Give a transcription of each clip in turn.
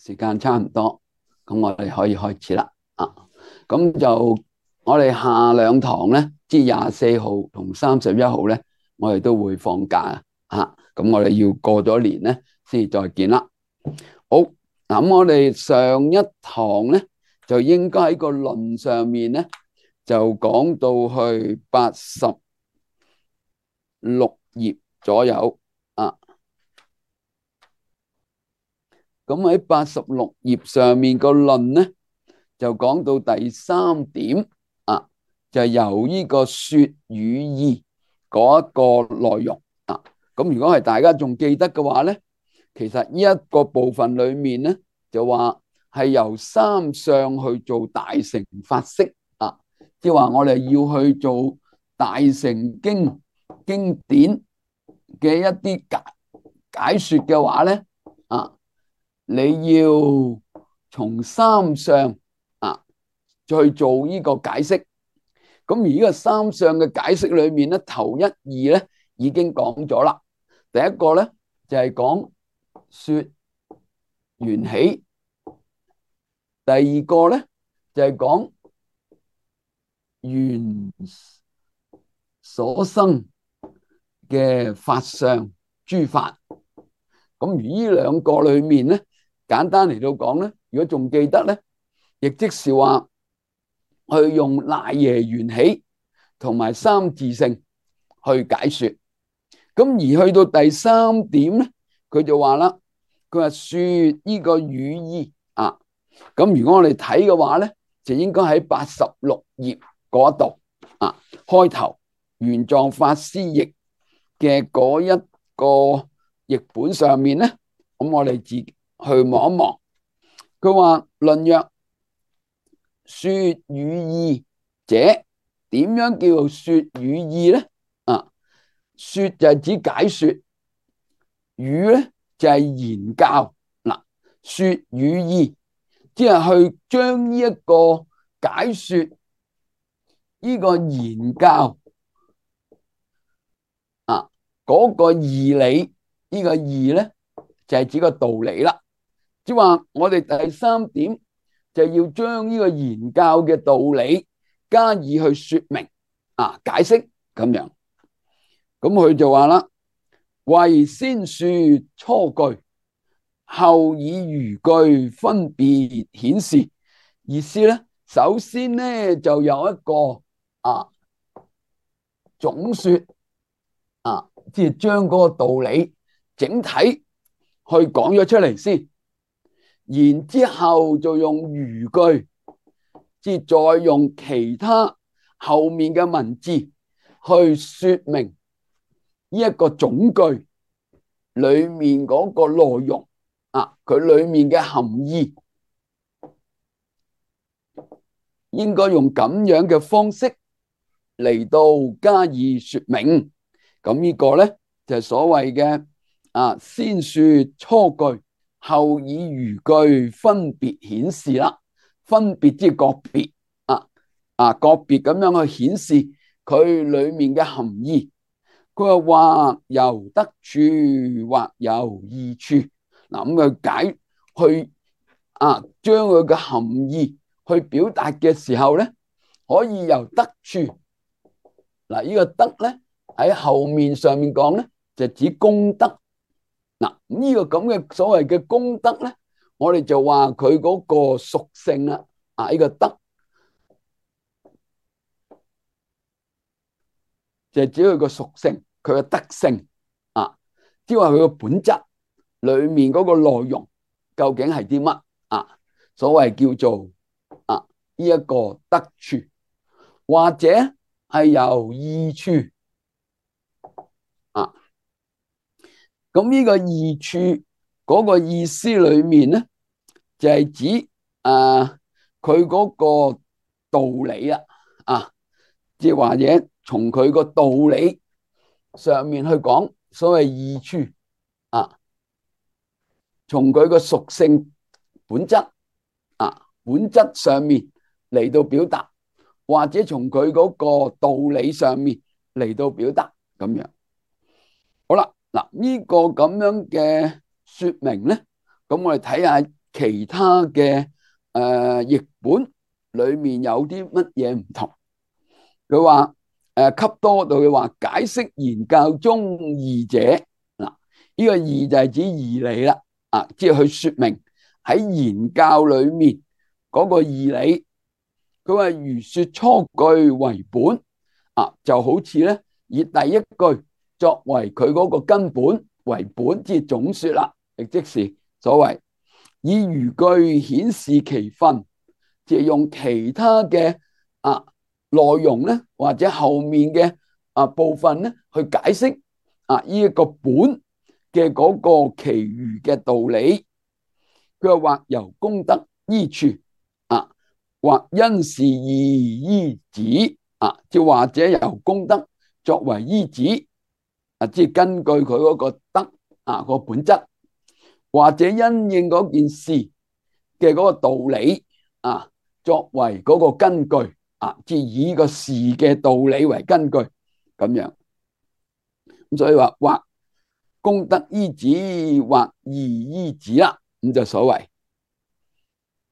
時間差唔多，咁我哋可以開始啦。咁就我哋下兩堂咧，即係24號同31號咧，我哋都會放假啊。咁我哋要過咗年咧，先至再見啦。好，咁我哋上一堂咧，就應該喺個論上面咧，就講到去86頁左右啊。咁喺86頁上面個論咧，就講到第3點啊，就係由呢個說與意嗰一個內容啊。咁如果係大家仲記得嘅話咧，其實呢一個部分裏面咧，就話係由三相去做大乘法釋啊，即係話我哋要去做大乘經典嘅一啲解說嘅話咧啊，你要從三相啊去做呢個解釋。咁而呢個三相嘅解釋裏面咧，頭一二咧已經講咗啦。第一個咧就係講說緣起，第二個咧就係講緣所生嘅法相諸法。咁而呢兩個裏面咧，簡單嚟到講咧，如果仲記得咧，亦即是話去用賴耶緣起同埋三自性去解說。咁而去到第三點咧，佢就話啦，佢話說呢個語意啊。咁如果我哋睇嘅話咧，就應該喺86頁嗰度啊，開頭玄奘法師譯嘅嗰一個譯本上面咧，咁我哋自己去望一望。佢話論曰：說與意者，點樣叫做說與意咧？啊，說就係指解說，語咧就係言教。嗱，說與意，即係去將呢一個解說呢個言教啊嗰個義理，呢個義咧就係指個道理啦。即係話我哋第三點就要將呢個言教嘅道理加以去說明啊，解釋咁樣。咁佢就話啦，為先說初句，後以餘句分別顯示。意思咧，首先咧就有一個總說啊，即係將嗰個道理整體去講咗出嚟先，然之後就用餘句，即係再用其他後面嘅文字去說明呢一個總句裏面嗰個內容啊，佢裏面嘅含義，應該用咁樣嘅方式嚟到加以說明。咁呢個咧就係所謂嘅先說初句，後以餘句分別顯示啦。分別即係個別個別咁樣去顯示佢裏面嘅含義。佢話或由得處，或由異處。嗱，咁佢解去將佢嘅含義去表達嘅時候咧，可以由得處。嗱，呢個得咧喺後面上面講咧，就指功德。嗱，呢個咁嘅所謂嘅功德咧，我哋就話佢嗰個屬性啦。呢個德就係指佢個屬性，佢嘅德性即係話佢個本質裏面嗰個內容究竟係啲乜所謂叫做呢一個得處，或者係由異處咁呢個異處嗰個意思裏面咧，就係指佢嗰個道理即係或者從佢個道理上面去講，所謂異處從佢個屬性本質本質上面嚟到表達，或者從佢嗰個道理上面嚟到表達咁樣。好啦，嗱，呢個咁樣嘅說明咧，咁我哋睇下其他嘅譯本裏面有啲乜嘢唔同。佢話給多度嘅話解釋言教中義者，嗱，呢個義就係指義理啦，即係去說明喺言教裏面嗰個義理。佢話如說初句為本，就好似咧以第一句作為佢嗰個根本為本，即係總說啦，亦即是所謂以餘句顯示其分，即係用其他嘅內容咧，或者後面嘅部分咧去解釋呢一個本嘅嗰個其餘嘅道理。佢話或由功德依處或因事義依止即或者由功德作為依止即係根據佢嗰個德個本質，或者因應嗰件事嘅嗰個道理作為嗰個根據即係以個事嘅道理為根據咁樣。咁所以話或功德依止或義依止啦，咁就所謂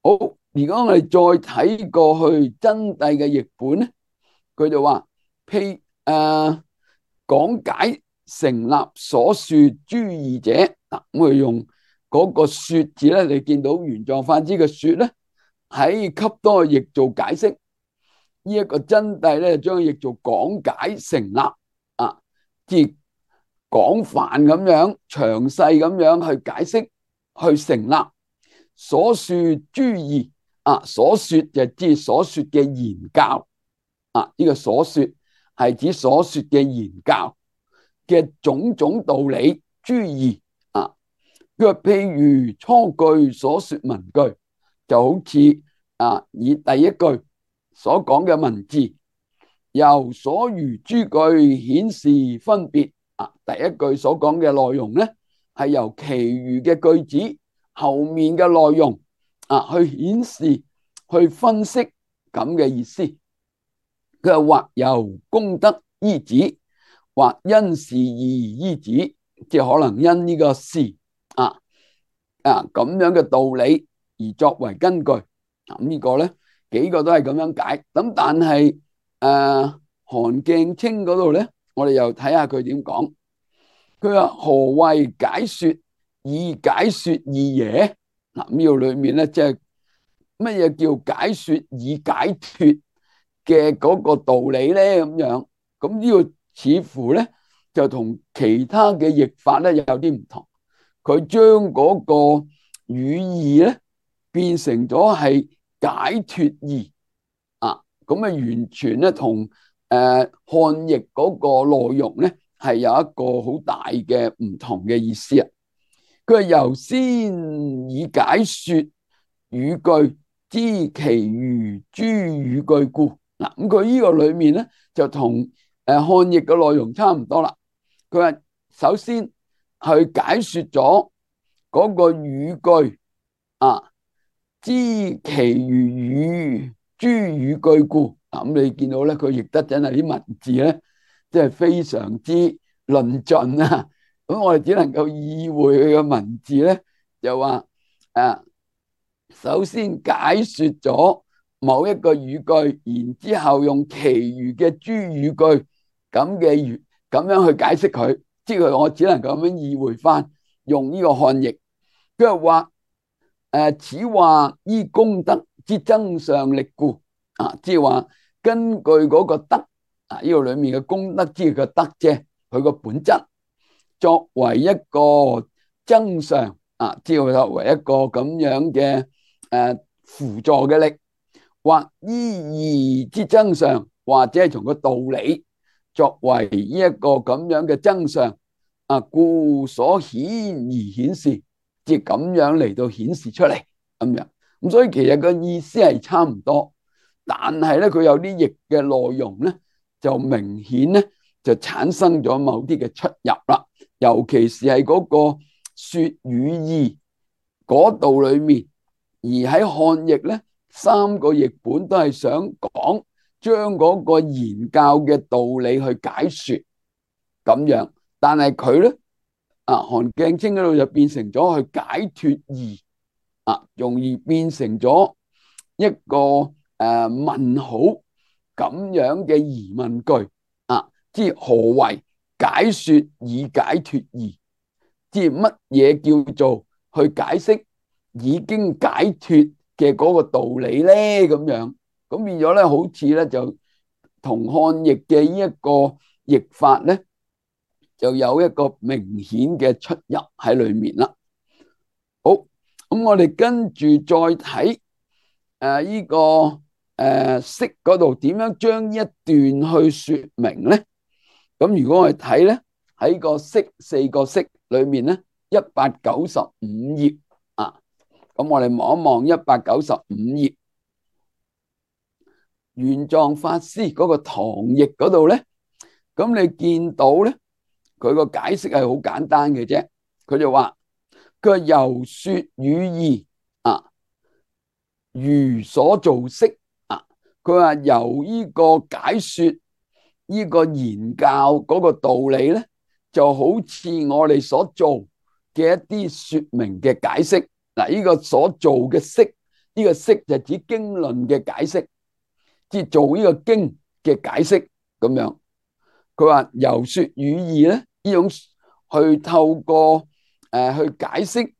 好。如果我哋再睇過去真諦嘅譯本咧，佢就話譬講解成立所說諸義者，咁佢用嗰個說字咧，你見到原狀翻之嘅說咧，喺給多譯做解釋呢一個真諦咧，將譯做講解成立即係廣泛咁樣詳細咁樣去解釋去成立所說諸義所說就指所說嘅言教呢個所說係指所說嘅言教嘅種種道理諸義佢話譬如初句所說文句，就好似以第一句所講嘅文字，由所餘諸句顯示分別第一句所講嘅內容咧，係由其餘嘅句子後面嘅內容去顯示去分析咁嘅意思。佢話或由功德依止，或因事義依止，即係可能因呢個事咁樣嘅道理而作為根據。咁呢個咧幾個都係咁樣解。咁但係韓鏡清嗰度咧，我哋又睇下佢點講。佢話何謂解說以解說義耶？呢度裏面咧即係乜嘢叫解說以解脫嘅嗰個道理咧？咁樣咁呢個似乎咧就同其他嘅譯法咧有啲唔同。佢將嗰個語義咧變成咗係解脫義咁完全咧同漢譯嗰個內容咧係有一個好大嘅唔同嘅意思。佢係由先以解說語句知其餘諸語句故。咁佢呢個裏面咧就同漢譯嘅內容差唔多啦。佢話首先去解說咗嗰個語句知其餘諸語句故。咁你見到咧，佢譯得真係啲文字咧，即係非常之論盡咁我哋只能夠意會佢嘅文字咧，就話首先解說咗某一個語句，然之後用其餘嘅諸語句咁樣去解釋佢，即係我只能夠咁樣意會翻，用呢個漢譯。佢話此話依功德之增上力故即係話根據嗰個德呢個裏面嘅功德之個德啫，佢個本質作為一個增上即係作為一個咁樣嘅輔助嘅力，或依義之增上，或者係從個道理作為呢一個咁樣嘅增上故所顯而顯示，即係咁樣嚟到顯示出嚟咁樣。咁所以其實個意思係差唔多，但係咧佢有啲譯嘅內容咧就明顯咧就產生咗某啲嘅出入啦，尤其是係嗰個說語義嗰度裏面，而喺漢譯咧三個譯本都係想講將嗰個言教嘅道理去解說咁樣，但係佢咧韓鏡清嗰度就變成咗去解脫義容易變成咗一個問號咁樣嘅疑問句即何為解說以解脫義？即乜嘢叫做去解釋已經解脫嘅嗰個道理咧？咁樣咁變咗咧，好似咧就同漢譯嘅呢一個譯法咧，就有一個明顯嘅出入喺裏面啦。好，咁我哋跟住再睇呢個釋嗰度點樣將一段去說明咧？咁如果我哋睇咧喺個釋四個釋裏面咧，195頁咁我哋望一望195頁，玄奘法師嗰個唐譯嗰度咧，咁你見到咧，佢個解釋係好簡單嘅啫。佢就話佢由說語義如所造釋佢話由呢個解說呢個言教嗰個道理咧，就好似我哋所做嘅一啲說明嘅解釋。呢個所做嘅釋，呢個釋就指經論嘅解釋，即係做呢個經嘅解釋咁樣。佢話由說語義咧，呢種去透過去解釋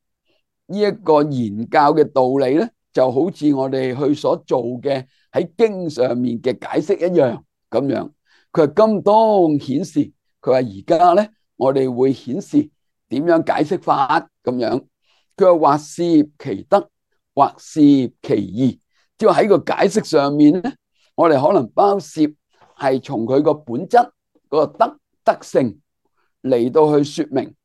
呢一個言教嘅道理咧，就好似我哋去所做嘅喺經上面嘅解釋一樣咁樣。佢話今當顯示，佢話而家咧，我哋會顯示點樣解釋法咁樣。佢話或涉其德，或涉其義，即係喺個解釋上面咧，我哋可能包涉係從佢個本質嗰個德性嚟到去說明，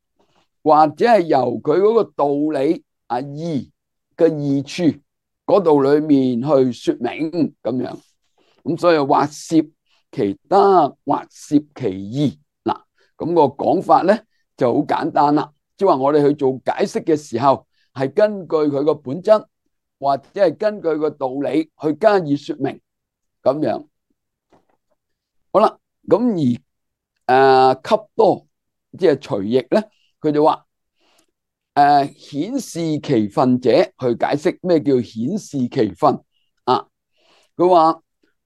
或者係由佢嗰個道理義嘅義處嗰度裏面去說明咁樣。咁所以或涉其德，或涉其義嗱，咁個講法咧就好簡單啦。即係話我哋去做解釋嘅時候，係根據佢個本質，或者係根據個道理去加以說明咁樣。好啦，咁而笈多即係隨譯咧，佢就話顯示其分者去解釋咩叫顯示其分佢話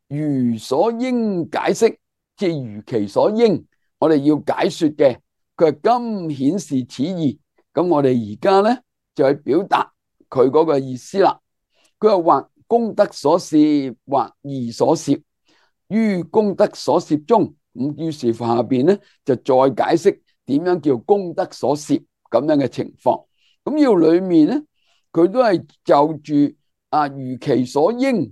如所應解釋，即係如其所應，我哋要解說嘅。佢係今顯示此義，咁我哋而家咧就去表達佢嗰個意思啦。佢話或功德所攝，或義所攝，於功德所攝中，咁於是乎下邊咧就再解釋點樣叫功德所攝咁樣嘅情況。咁呢個裏面咧，佢都係就住如其所應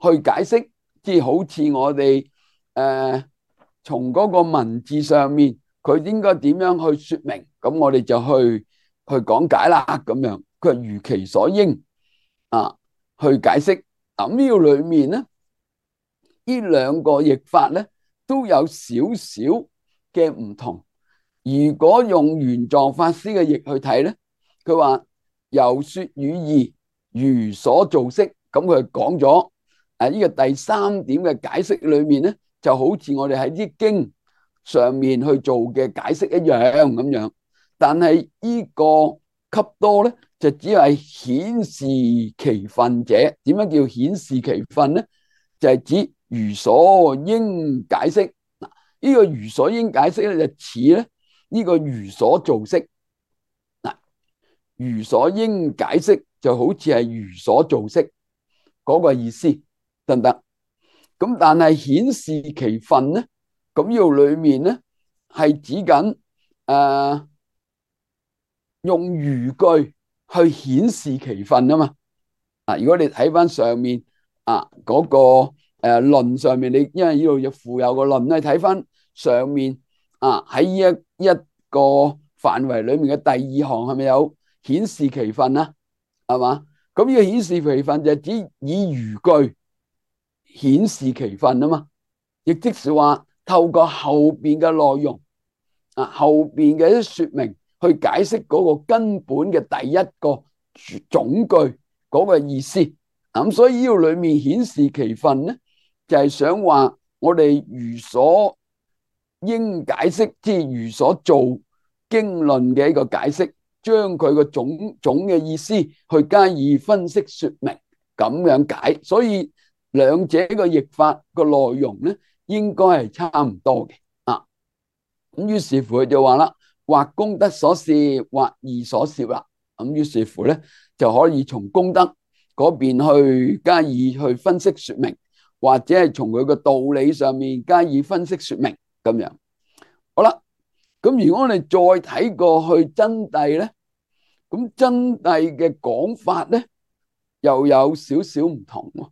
去解釋，即係好似我哋從嗰個文字上面，佢應該點樣去說明，咁我哋就去講解啦咁樣。佢係如其所應去解釋。咁呢個裏面咧，呢兩個譯法咧都有少少嘅唔同。如果用玄奘法師嘅譯去睇咧，佢話由說語義如所造釋，咁佢講咗呢個第三點嘅解釋裏面咧，就好似我哋喺啲經上面去做嘅解釋一樣咁樣。但係呢個笈多咧，就只係顯示其分者。點樣叫顯示其分咧？就係指如所應解釋。呢個如所應解釋咧，就似咧呢個如所造釋。如所應解釋就好似係如所造釋嗰個意思，得唔得？咁但係顯示其分咧，咁呢度裏面咧係指緊用語句去顯示其分啊嘛。如果你睇翻上面嗰個論上面，你因為呢度要附有個論，你睇翻上面喺一個範圍裏面嘅第二行係咪有顯示其分啊？係嘛？咁呢個顯示其分就係指以語句顯示其分啊嘛，亦即是話透過後邊嘅內容後邊嘅一啲說明去解釋嗰個根本嘅第一個總句嗰個意思。咁所以呢個裏面顯示其分咧，就係想話我哋如所應解釋，即係如所做經論嘅一個解釋，將佢個種嘅意思去加以分析說明，咁樣解。所以兩者個譯法個內容咧，應該係差唔多嘅啊。咁於是乎佢就話啦，或功德所攝，或義所攝啦。咁於是乎咧，就可以從功德嗰邊去加以去分析說明，或者係從佢個道理上面加以分析說明咁樣。好啦，咁如果我哋再睇過去真諦咧，咁真諦嘅講法咧又有少少唔同喎。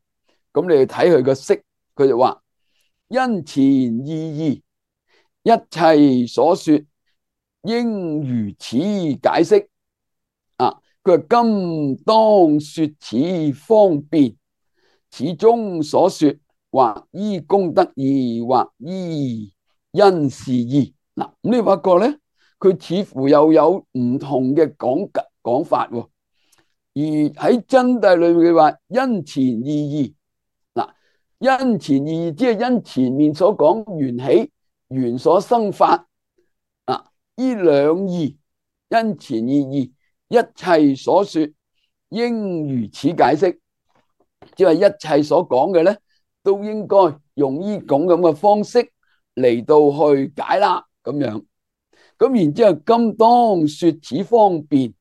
咁你去睇佢個釋，佢就話因前意義，一切所說應如此解釋。佢話今當說此方便，此中所說或依功德義，或依因事義。嗱，咁你發覺咧，佢似乎又有唔同嘅講法喎。而喺真諦裏面，佢話因前意義。嗱，因前意義即係因前面所講緣起、緣所生法啊，呢兩義因前意義，一切所說應如此解釋，即係一切所講嘅咧，都應該用呢種咁嘅方式嚟到去解啦，咁樣。咁然之後，今當說此方便，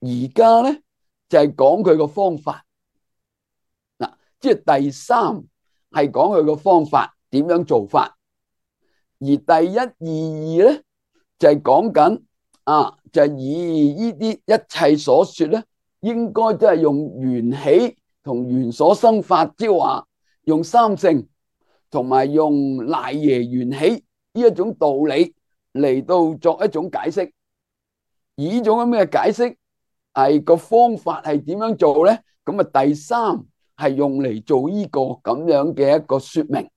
而家咧就係講佢個方法。嗱，即係第三係講佢個方法點樣做法，而第一、二、二咧就係講緊就係以呢啲一切所說咧，應該都係用緣起同緣所生法，即係話用三性同埋用賴耶緣起呢一種道理嚟到作一種解釋。而呢種咁嘅解釋係個方法係點樣做咧？咁啊，第三係用嚟做呢個咁樣嘅一個說明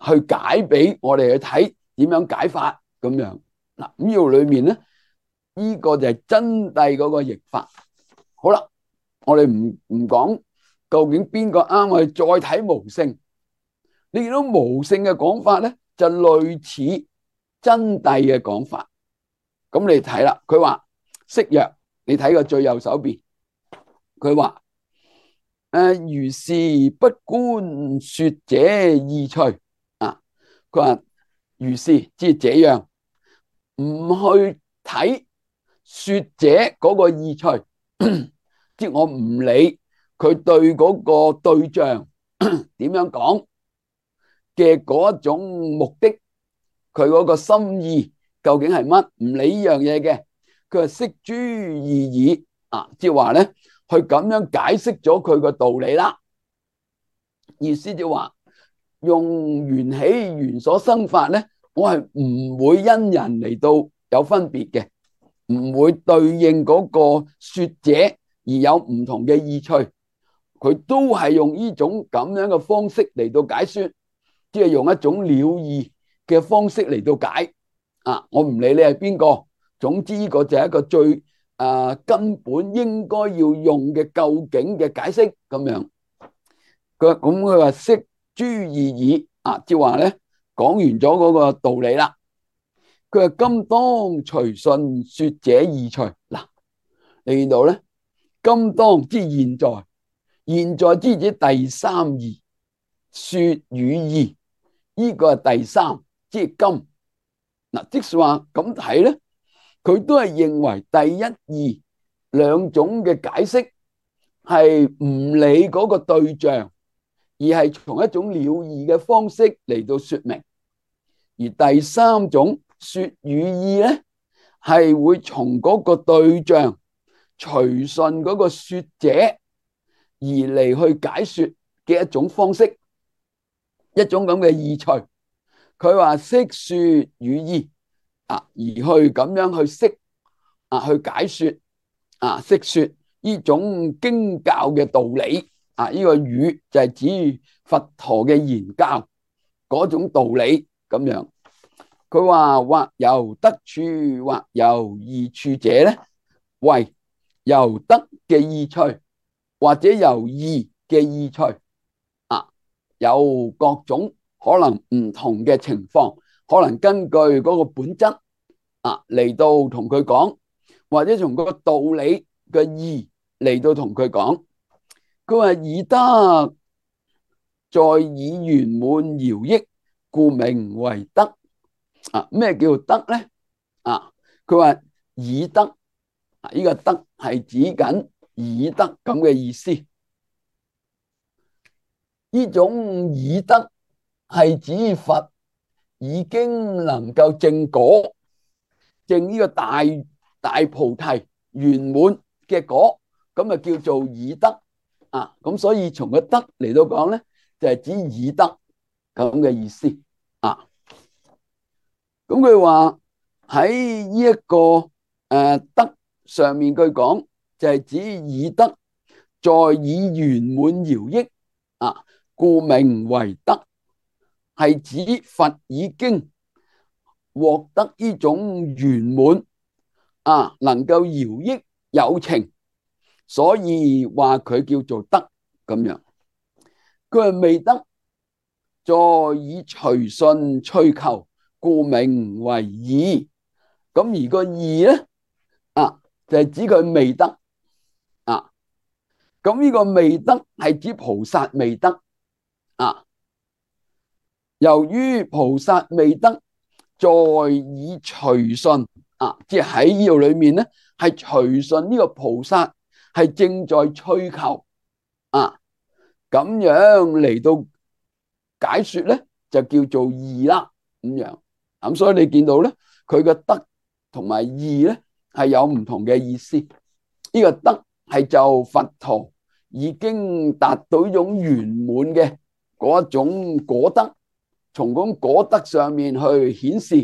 去解俾我哋去睇點樣解法咁樣。嗱，呢度裏面咧，呢個就係真諦嗰個譯法。好啦，我哋唔講究竟邊個啱，我哋再睇無性。你見到無性嘅講法咧，就類似真諦嘅講法。咁你睇啦，佢話釋曰，你睇個最右手邊，佢話如是不觀說者意趣佢話如是即係這樣，唔去睇說者嗰個意趣，即係我唔理佢對嗰個對象點樣講嘅嗰一種目的，佢嗰個心意究竟係乜？唔理呢樣嘢嘅，佢話釋諸義耳即係話咧，佢咁樣解釋咗佢個道理啦。意思就話用緣起緣所生法咧，我係唔會因人嚟到有分別嘅，唔會對應嗰個說者而有唔同嘅意趣，佢都係用呢種咁樣嘅方式嚟到解說，即係用一種了義嘅方式嚟到解我唔理你係邊個，總之呢個就係一個最根本應該要用嘅究竟嘅解釋咁樣。佢話釋諸義耳即係話咧，講完咗嗰個道理啦。佢話今當隨順說者意趣。嗱，你見到咧，今當即現在，現在之指第三義說與義，呢個係第三，即係今。嗱，即是話咁睇咧，佢都係認為第一、二兩種嘅解釋係唔理嗰個對象，而係從一種了義嘅方式嚟到說明。而第三種說與義咧，係會從嗰個對象隨順嗰個說者而嚟去解說嘅一種方式，一種咁嘅意趣。佢話釋說與義而去咁樣去釋去解說釋說呢種經教嘅道理呢個語就係指佛陀嘅言教嗰種道理咁樣。佢話或由得處，或由義處者咧，為由得嘅意趣，或者由義嘅意趣有各種可能唔同嘅情況，可能根據嗰個本質嚟到同佢講，或者從個道理嘅義嚟到同佢講。佢話以德在以圓滿饒益，故名為德。咩叫德咧？佢話以德，呢個德係指緊以德咁嘅意思。呢種以德係指佛已經能夠證果，證呢個大菩提圓滿嘅果，咁啊叫做以德。咁所以從個德嚟到講咧，就係指以德咁嘅意思。咁佢話喺呢一個德上面，佢講就係指以德在以圓滿饒益，故名為德，係指佛已經獲得呢種圓滿，能夠饒益有情，所以話佢叫做德咁樣。佢係未得，在以隨順趣求，故名為義。咁而個義咧，就係指佢未得。咁呢個未得係指菩薩未得。由於菩薩未得，在以隨順，即係喺呢度裏面咧，係隨順呢個菩薩係正在趣求，咁樣嚟到解說咧，就叫做義啦。咁樣，咁所以你見到咧，佢嘅德同埋義咧係有唔同嘅意思。呢個德係就佛陀已經達到一種圓滿嘅嗰一種果德，從嗰果德上面去顯示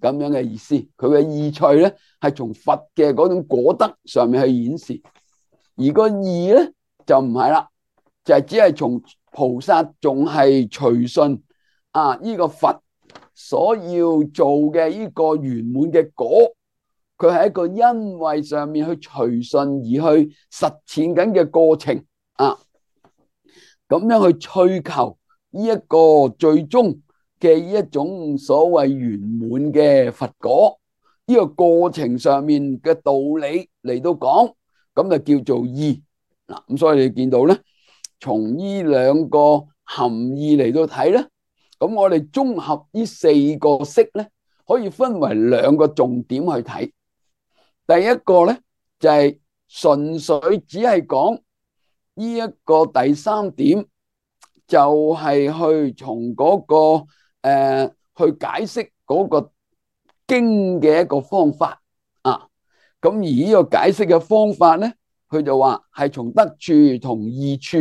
咁樣嘅意思。佢嘅義趣咧係從佛嘅嗰種果德上面去顯示，而個義咧就唔係啦，就係只係從菩薩仲係隨順呢個佛所要做嘅呢個圓滿嘅果，佢係一個因為上面去隨順而去實踐緊嘅過程，咁樣去追求呢一個最終嘅一種所謂圓滿嘅佛果，呢個過程上面嘅道理嚟到講，咁就叫做義。咁所以你見到咧，從呢兩個含義嚟到睇咧，咁我哋綜合呢四個釋咧，可以分為兩個重點去睇。第一個咧就係純粹只係講呢一個第三點，就係去從嗰個去解釋嗰個經嘅一個方法。咁而呢個解釋嘅方法咧，佢就話係從得處同義處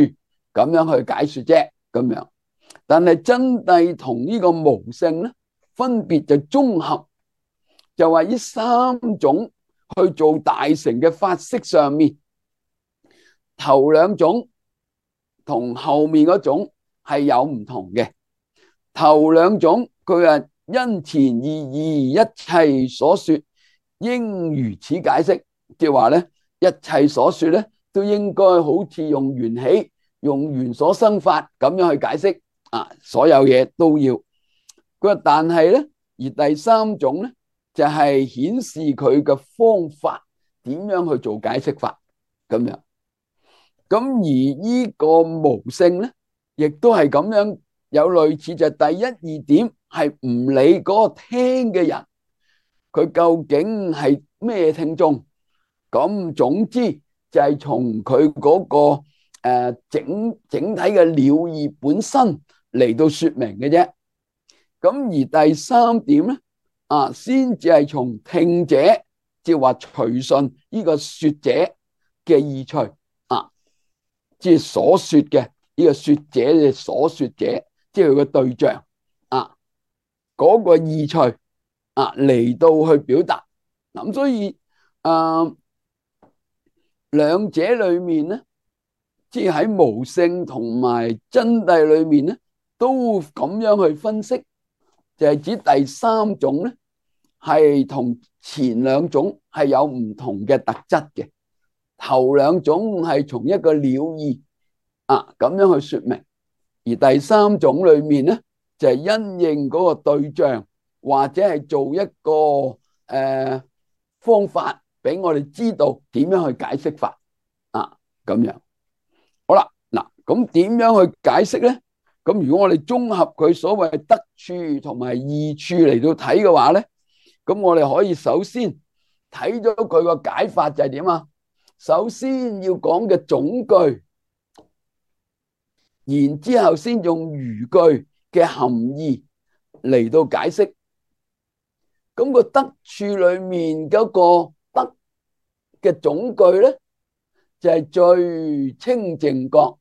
咁樣去解說啫，咁樣。但係真諦同呢個無性咧，分別就綜合，就話呢三種去做大乘嘅法式上面，頭兩種同後面嗰種係有唔同嘅。頭兩種佢係因前意義一切所說應如此解釋，即係話咧，一切所說咧都應該好似用緣起、用緣所生法咁樣去解釋，所有嘢都要。佢話但係咧，而第三種咧就係顯示佢嘅方法點樣去做解釋法咁樣。咁而呢個無性咧，亦都係咁樣，有類似，就係第一二點係唔理嗰個聽嘅人佢究竟係咩聽眾，咁總之就係從佢嗰個整體嘅了義本身嚟到說明嘅啫。咁而第三點咧，先至係從聽者，即係話隨順呢個說者嘅意趣，即係所說嘅呢個說者嘅所說者，即係佢個對象，嗰個意趣嚟到去表達。咁所以兩者裏面咧，即係喺無性同埋真諦裏面咧，都咁樣去分析，就係指第三種咧係同前兩種係有唔同嘅特質嘅。頭兩種係從一個了義咁樣去說明，而第三種裏面咧就係因應嗰個對象，或者係做一個方法俾我哋知道點樣去解釋法啊，咁樣。好啦，嗱，咁點樣去解釋咧？咁如果我哋綜合佢所謂得處同埋異處嚟到睇嘅話咧，咁我哋可以首先睇咗佢個解法就係點啊？首先要講嘅總句，然之後先用餘句嘅含義嚟到解釋。咁個得處裏面嗰個得嘅總句咧，就係最清淨覺。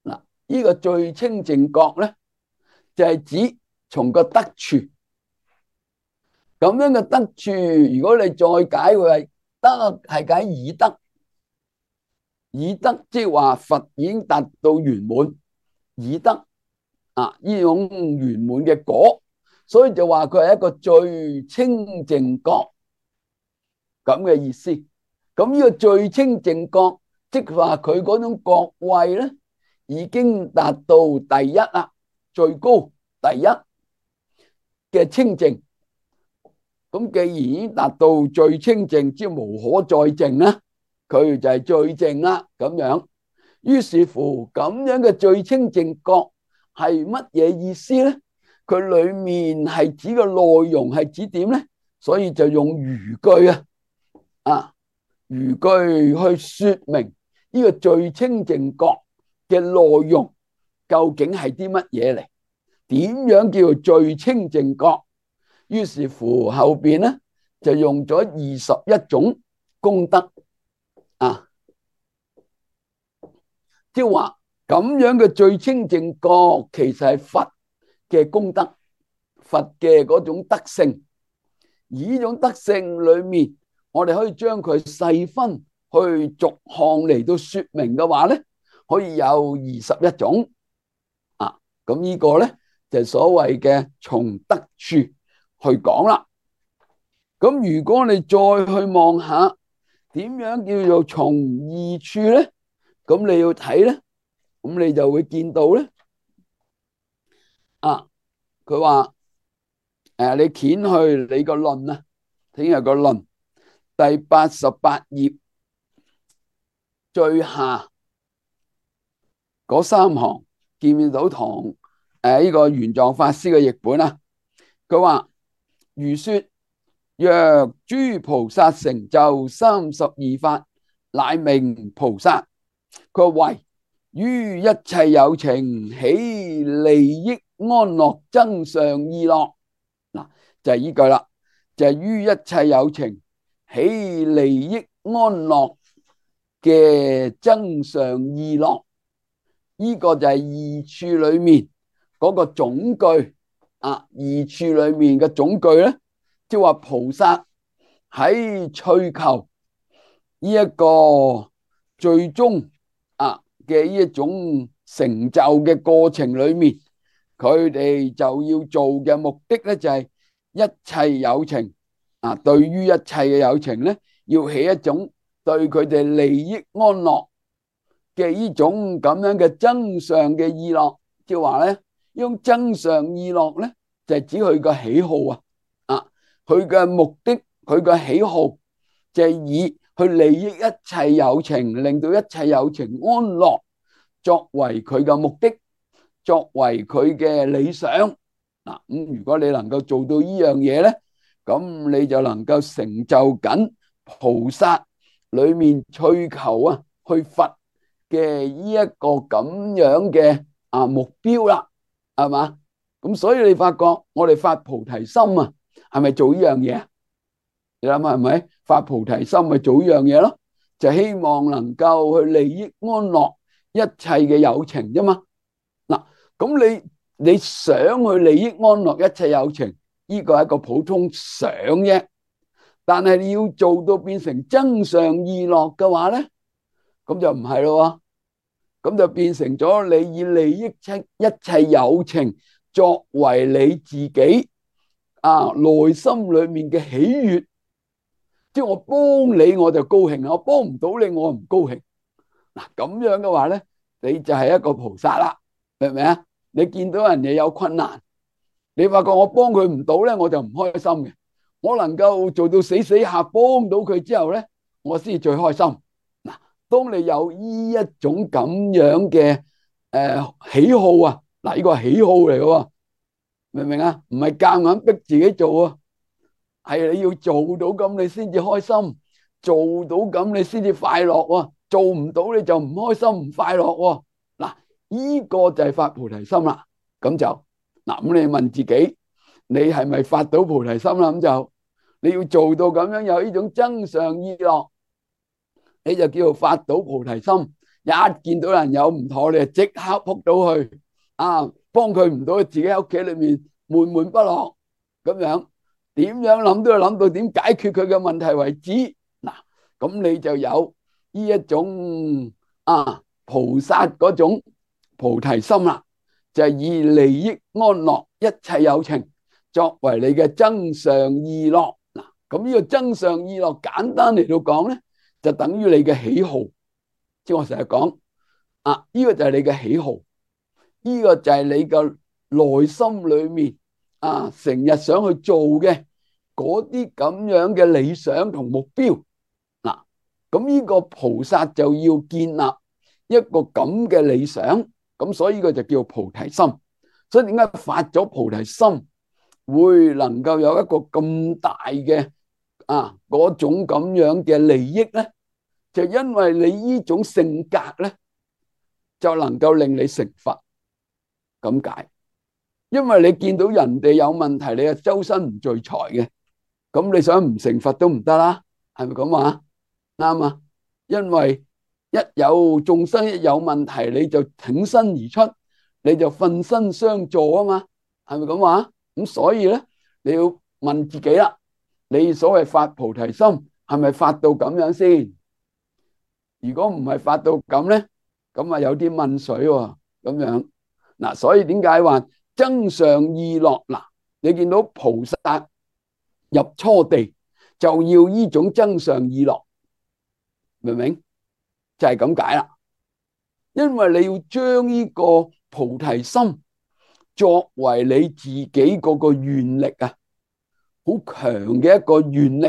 嗱，呢個最清淨覺咧，就係指從個得處咁樣嘅得處。如果你再解佢係得，係解已得，已得即係話佛已經達到圓滿，已得啊呢種圓滿嘅果，所以就話佢係一個最清淨覺咁嘅意思。咁呢個最清淨覺，即係話佢嗰種覺位咧，已經達到第一啦，最高第一嘅清淨。咁既然已經達到最清淨，即係無可再淨啦，佢就係最淨啦咁樣。於是乎咁樣嘅最清淨覺係乜嘢意思咧？佢裏面係指個內容係指點咧？所以就用餘句餘句去說明呢個最清淨覺嘅內容究竟係啲乜嘢嚟？點樣叫做最清淨覺？於是乎後邊咧就用咗21種功德即係話咁樣嘅最清淨覺其實係佛嘅功德，佛嘅嗰種德性。而呢種德性裏面，我哋可以將佢細分去逐項嚟到說明嘅話咧，可以有21種咁呢個咧就係所謂嘅從得處去講啦。咁如果你再去望下點樣叫做從異處咧，咁你要睇咧，咁你就會見到咧佢話你掀去你個論啊，聽日個論第88頁最下嗰3行，見唔見到唐呢個玄奘法師嘅譯本啊？佢話如說若諸菩薩成就32法，乃名菩薩。佢話為於一切有情起利益安樂增上意樂，嗱就係呢句啦，就係於一切有情起利益安樂嘅增上意樂，呢個就係異處裏面嗰個總句異處裏面嘅總句咧，即係話菩薩喺追求呢一個最終嘅呢一種成就嘅過程裏面，佢哋就要做嘅目的咧，就係一切有情對於一切嘅有情咧，要起一種對佢哋利益安樂嘅呢種咁樣嘅增上嘅意樂。即係話咧，呢種增上意樂咧，就係指佢個喜好佢嘅目的，佢嘅喜好就係以去利益一切有情，令到一切有情安樂，作為佢嘅目的，作為佢嘅理想咁如果你能夠做到呢樣嘢咧，咁你就能夠成就緊菩薩裏面追求去佛嘅呢一個咁樣嘅目標啦，係嘛？咁所以你發覺我哋發菩提心係咪做呢樣嘢？你諗下係咪發菩提心咪做呢樣嘢咯？就希望能夠去利益安樂一切嘅有情啫嘛。嗱，咁你想去利益安樂一切有情，呢個係一個普通想啫。但係你要做到變成增上意樂嘅話咧，咁就唔係咯。咁就變成咗你以利益一切有情作為你自己內心裏面嘅喜悅。即係我幫你我就高興，我幫唔到你我唔高興。嗱，咁樣嘅話咧，你就係一個菩薩啦，明唔明啊？你見到人哋有困難，你發覺我幫佢唔到咧，我就唔開心嘅。我能夠做到死死下幫到佢之後咧，我先至最開心。嗱，當你有呢一種咁樣嘅喜好啊，嗱，呢個係喜好嚟嘅喎，明唔明啊？唔係夾硬逼自己做啊，係你要做到咁你先至開心，做到咁你先至快樂喎。做唔到你就唔開心唔快樂喎。嗱，呢個就係發菩提心啦。咁就嗱，咁你問自己，你係咪發到菩提心啦？咁就你要做到咁樣有呢種增上意樂，你就叫做發到菩提心。一見到人有唔妥，你就即刻撲到去啊，幫佢唔到，自己喺屋企裏面悶悶不樂咁樣，點樣諗都要諗到點解決佢嘅問題為止。嗱，咁你就有呢一種菩薩嗰種菩提心啦，就係以利益安樂一切有情作為你嘅增上意樂。嗱，咁呢個增上意樂簡單嚟到講咧，就等於你嘅喜好。即係我成日講呢個就係你嘅喜好，呢個就係你嘅內心裏面成日想去做嘅嗰啲咁樣嘅理想同目標。嗱，咁呢個菩薩就要建立一個咁嘅理想，咁所以呢個就叫菩提心。所以點解發咗菩提心會能夠有一個咁大嘅嗰種咁樣嘅利益咧？就因為你呢種性格咧，就能夠令你成佛咁解。因為你見到人哋有問題，你係周身唔聚財嘅，咁你想唔成佛都唔得啦，係咪咁話？啱啊！因為一有眾生一有問題，你就挺身而出，你就奮身相助啊嘛，係咪咁話？咁所以咧，你要問自己啦，你所謂發菩提心係咪發到咁樣先？如果唔係發到咁咧，咁有啲問水喎，咁樣嗱，所以點解話增上意樂？嗱，你見到菩薩入初地就要呢種增上意樂，明唔明？就係咁解啦。因為你要將呢個菩提心作為你自己嗰個願力好強嘅一個願力，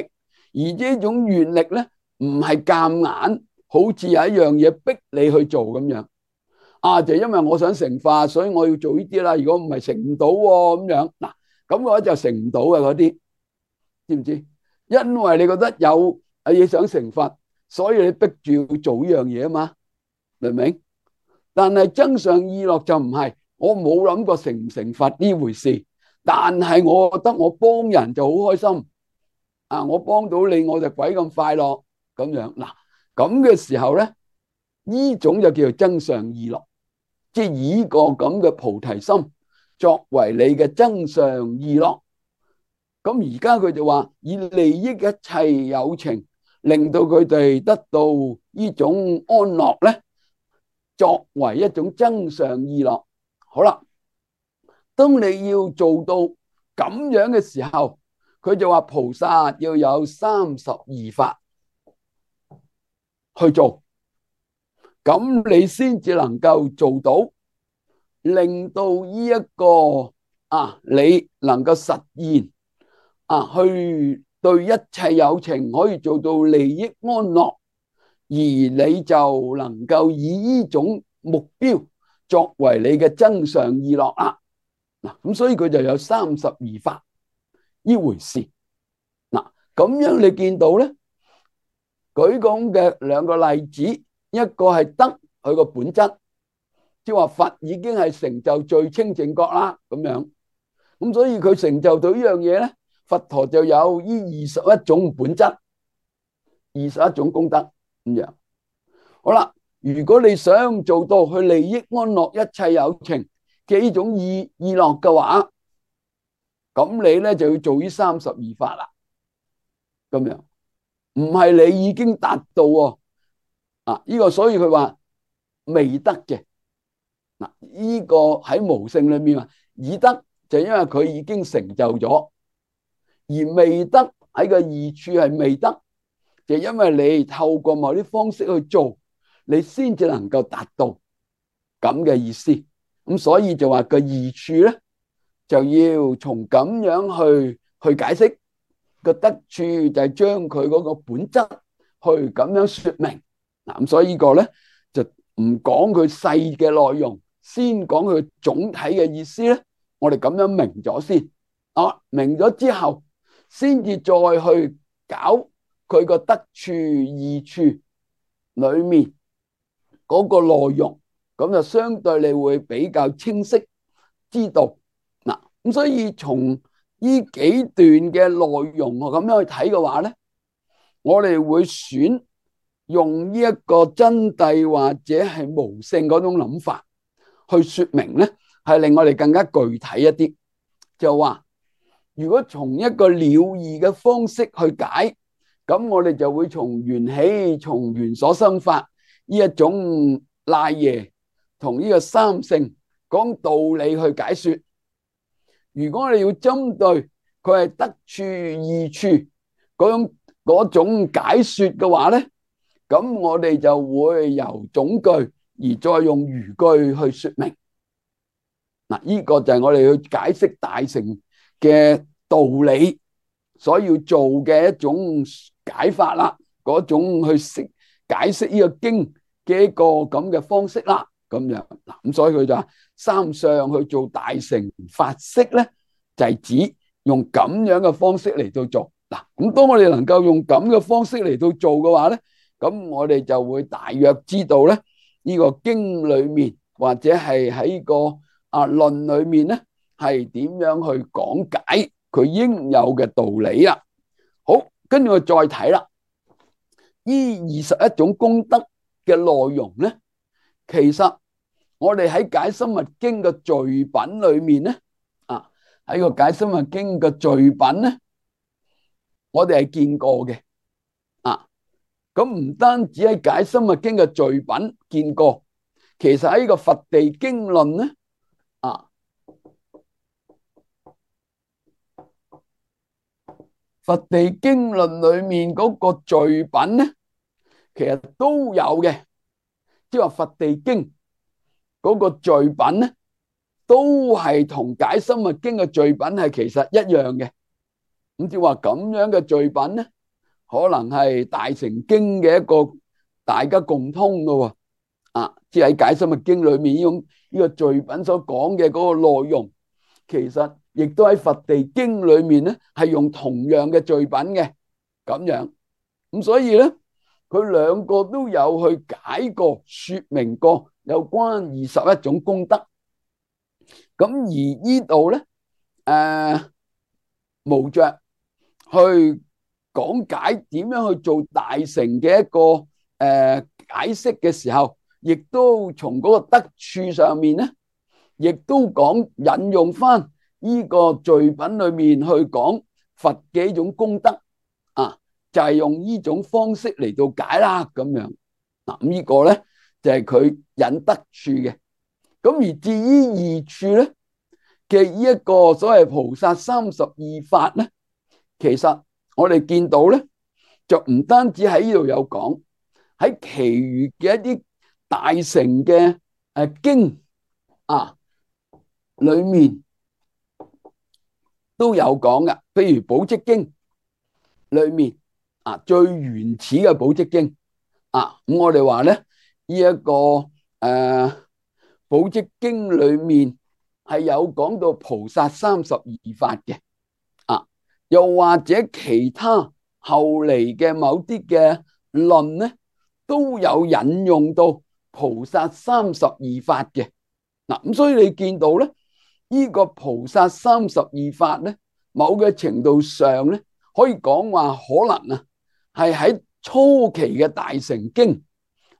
而呢種願力咧唔係夾硬。好似有一樣嘢逼你去做咁樣就因為我想成佛，所以我要做呢啲啦。如果唔係成唔到咁樣，嗱，咁嘅話就成唔到嘅嗰啲，知唔知？因為你覺得有嘢想成佛，所以你逼住要做呢樣嘢啊嘛，明唔明？但係增上意樂就唔係，我冇諗過成唔成佛呢回事，但係我覺得我幫人就好開心我幫到你我就鬼咁快樂咁樣嗱。咁嘅時候咧，呢種就叫做增上意樂，即係以個咁嘅菩提心作為你嘅增上意樂。咁而家佢就話以利益一切有情，令到佢哋得到呢種安樂咧，作為一種增上意樂。好啦，當你要做到咁樣嘅時候，佢就話菩薩要有32法去做，咁你先至能夠做到，令到呢一個你能夠實現去對一切有情可以做到利益安樂，而你就能夠以呢種目標作為你嘅增上意樂啦。嗱，咁所以佢就有32法呢回事。嗱，咁樣你見到咧，舉咁嘅兩個例子，一個係得佢個本質，即係話佛已經係成就最清淨覺啦，咁樣，咁所以佢成就到呢樣嘢咧，佛陀就有呢21種本質，21種功德咁樣。好啦，如果你想做到去利益安樂一切有情嘅呢種意樂嘅話，咁你咧就要做呢32法啦，咁樣。唔係你已經達到呢個，所以佢話未得嘅。嗱，呢個喺無性裏面已得就因為佢已經成就咗，而未得喺個異處係未得，就因為你透過某啲方式去做，你先至能夠達到咁嘅意思。咁所以就話個異處咧就要從咁樣去解釋個得處，就係將佢嗰個本質去咁樣說明。嗱，咁所以呢個咧就唔講佢細嘅內容，先講佢總體嘅意思咧。我哋咁樣明咗先，明咗之後，先至再去搞佢個得處二處裏面嗰個內容，咁就相對你會比較清晰知道。嗱，咁所以從呢幾段嘅內容我咁樣去睇嘅話咧，我哋會選用呢一個真諦或者係無性嗰種諗法去說明咧，係令我哋更加具體一啲。就話如果從一個了義嘅方式去解，咁我哋就會從緣起、從緣所生法呢一種賴耶同呢個三性講道理去解說。如果我哋要針對佢係得處二處嗰種解說嘅話咧，咁我哋就會由總句而再用餘句去說明。嗱，呢個就係我哋去解釋大乘嘅道理所要做嘅一種解法啦，嗰種去解釋呢個經嘅一個咁嘅方式啦，咁樣。嗱，咁所以佢就話三相去做大乘法式咧，就係指用咁樣嘅方式嚟到做。嗱，咁當我哋能夠用咁嘅方式嚟到做嘅話咧，咁我哋就會大約知道咧，呢個經裏面或者係喺個論裏面咧，係點樣去講解佢應有嘅道理啊。好，跟住我再睇啦，呢21種功德嘅內容咧，其實我哋喺解深密經嘅序品裏面咧，喺個解深密經嘅序品咧，我哋係見過嘅。咁唔單止喺解深密經嘅序品見過，其實喺個佛地經論咧，佛地經論裏面嗰個序品咧，其實都有嘅，即係話佛地經嗰個序品咧，都係同解深密經嘅序品係其實一樣嘅。咁即係話咁樣嘅序品咧，可能係大乘經嘅一個大家共通嘅喎。即係喺解深密經裏面呢個序品所講嘅嗰個內容，其實亦都喺佛地經裏面咧係用同樣嘅序品嘅咁樣。咁所以咧，佢兩個都有去解過、說明過有關21種功德。咁而呢度咧，無着去講解點樣去做大乘嘅一個解釋嘅時候，亦都從嗰個得處上面咧，亦都講引用翻呢個序品裏面去講佛嘅一種功德，就係用呢種方式嚟到解啦咁樣。嗱，咁呢個咧就係佢引得處嘅。咁而至於二處咧嘅呢一個所謂菩薩32法咧，其實我哋見到咧，就唔單止喺呢度有講，喺其餘嘅一啲大乘嘅經裏面都有講噶。譬如寶積經裏面最原始嘅寶積經咁我哋話咧，呢一個寶積經裏面係有講到菩薩32法嘅。又或者其他後嚟嘅某啲嘅論咧，都有引用到菩薩32法嘅。咁所以你見到咧，呢個菩薩32法咧，某嘅程度上咧，可以講話可能係喺初期嘅大乘經